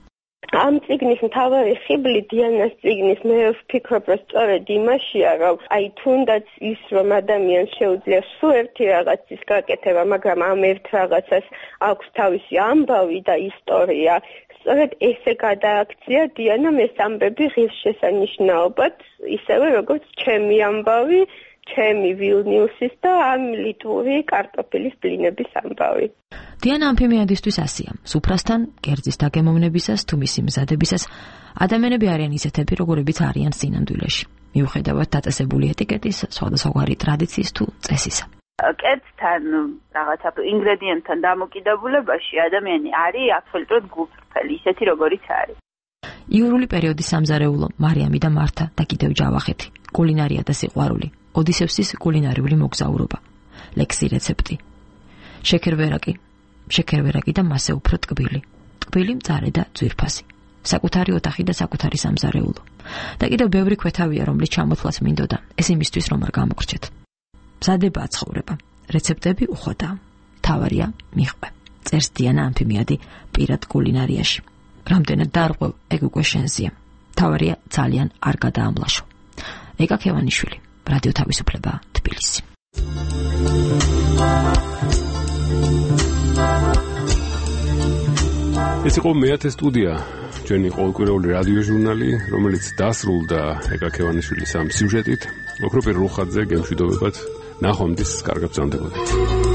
ამ წიგნის მთავარი ხიბლი დიანას წიგნის მე ვფიქრობ, რომ სწორედ იმაშია, რომ თუნდაც ის რომ ადამიანს შეუძლია სულ ერთი რაღაცის გაკეთება, მაგრამ ამ ერთ რაღაცას აქვს თავისი ამბავი და ისტორია. სწორედ ესე გადააქცია დიანამ ეს ამბები ღირსშესანიშნაობად, ისევე როგორც ჩემი ამბავი, ჩემი ვილნიუსის და ამ ლიტვური კარტოფილის ბლინების ამბავი. დიანა ამფიმიადისთვის ასია. სუფრასთან, კერძის დაგემოვნებისას თუ მისი მზადებისას ადამიანები არიან ისეთები, როგორებიც არიან სინამდვილეში. მიუხედავად დაწესებული ეტიკეტის, სხვადასხვაგვარი ტრადიციის თუ წესისა. კერძთან, რაღაცა ინგრედიენტთან დამოკიდებულებაში ადამიანი არის აბსოლუტურად გულწრფელი, ისეთი როგორიც არის. იურული პერიოდის სამზარეულო, მარიამი და მართა და კიდევ ჯავახეთი, კულინარია და სიყვარული, ოდისევსის კულინარიული მოგზაურობა, ლექსი რეცეპტი, შეკერვერაკი და მასე უფრო ტკბილი, მწარე და ძვირფასი, საკუთარი ოთახი და საკუთარი სამზარეულო. და კიდევ ბევრი ქვეთავია, რომლის ჩამოთვლაც მინდოდა, ეს იმისთვის რომ არ გამოგრჩეთ. მზადებაა ცხოვრება, რეცეპტები უხვადაა, თავარია მიხვე. წერს დიანა ამფიმიადი პირად კულინარიაში. რამდენად დარღვევ, ეგ უკვე შენზეა. თავარია ძალიან არ გადაამლაშო. ეკა ქევანიშვილი, რადიო თავისუფლება, თბილისი. ეს იყო მეათე სტუდია, ჩვენი ყოველკვირეული რადიო ჟურნალი, რომელიც დასრულდა ეკა ქევანიშვილის ამ სიუჟეტით. ოქროპირ რუხაძე გემშვიდობებად, ნახვამდის კარგად ბრძანდებოდეთ.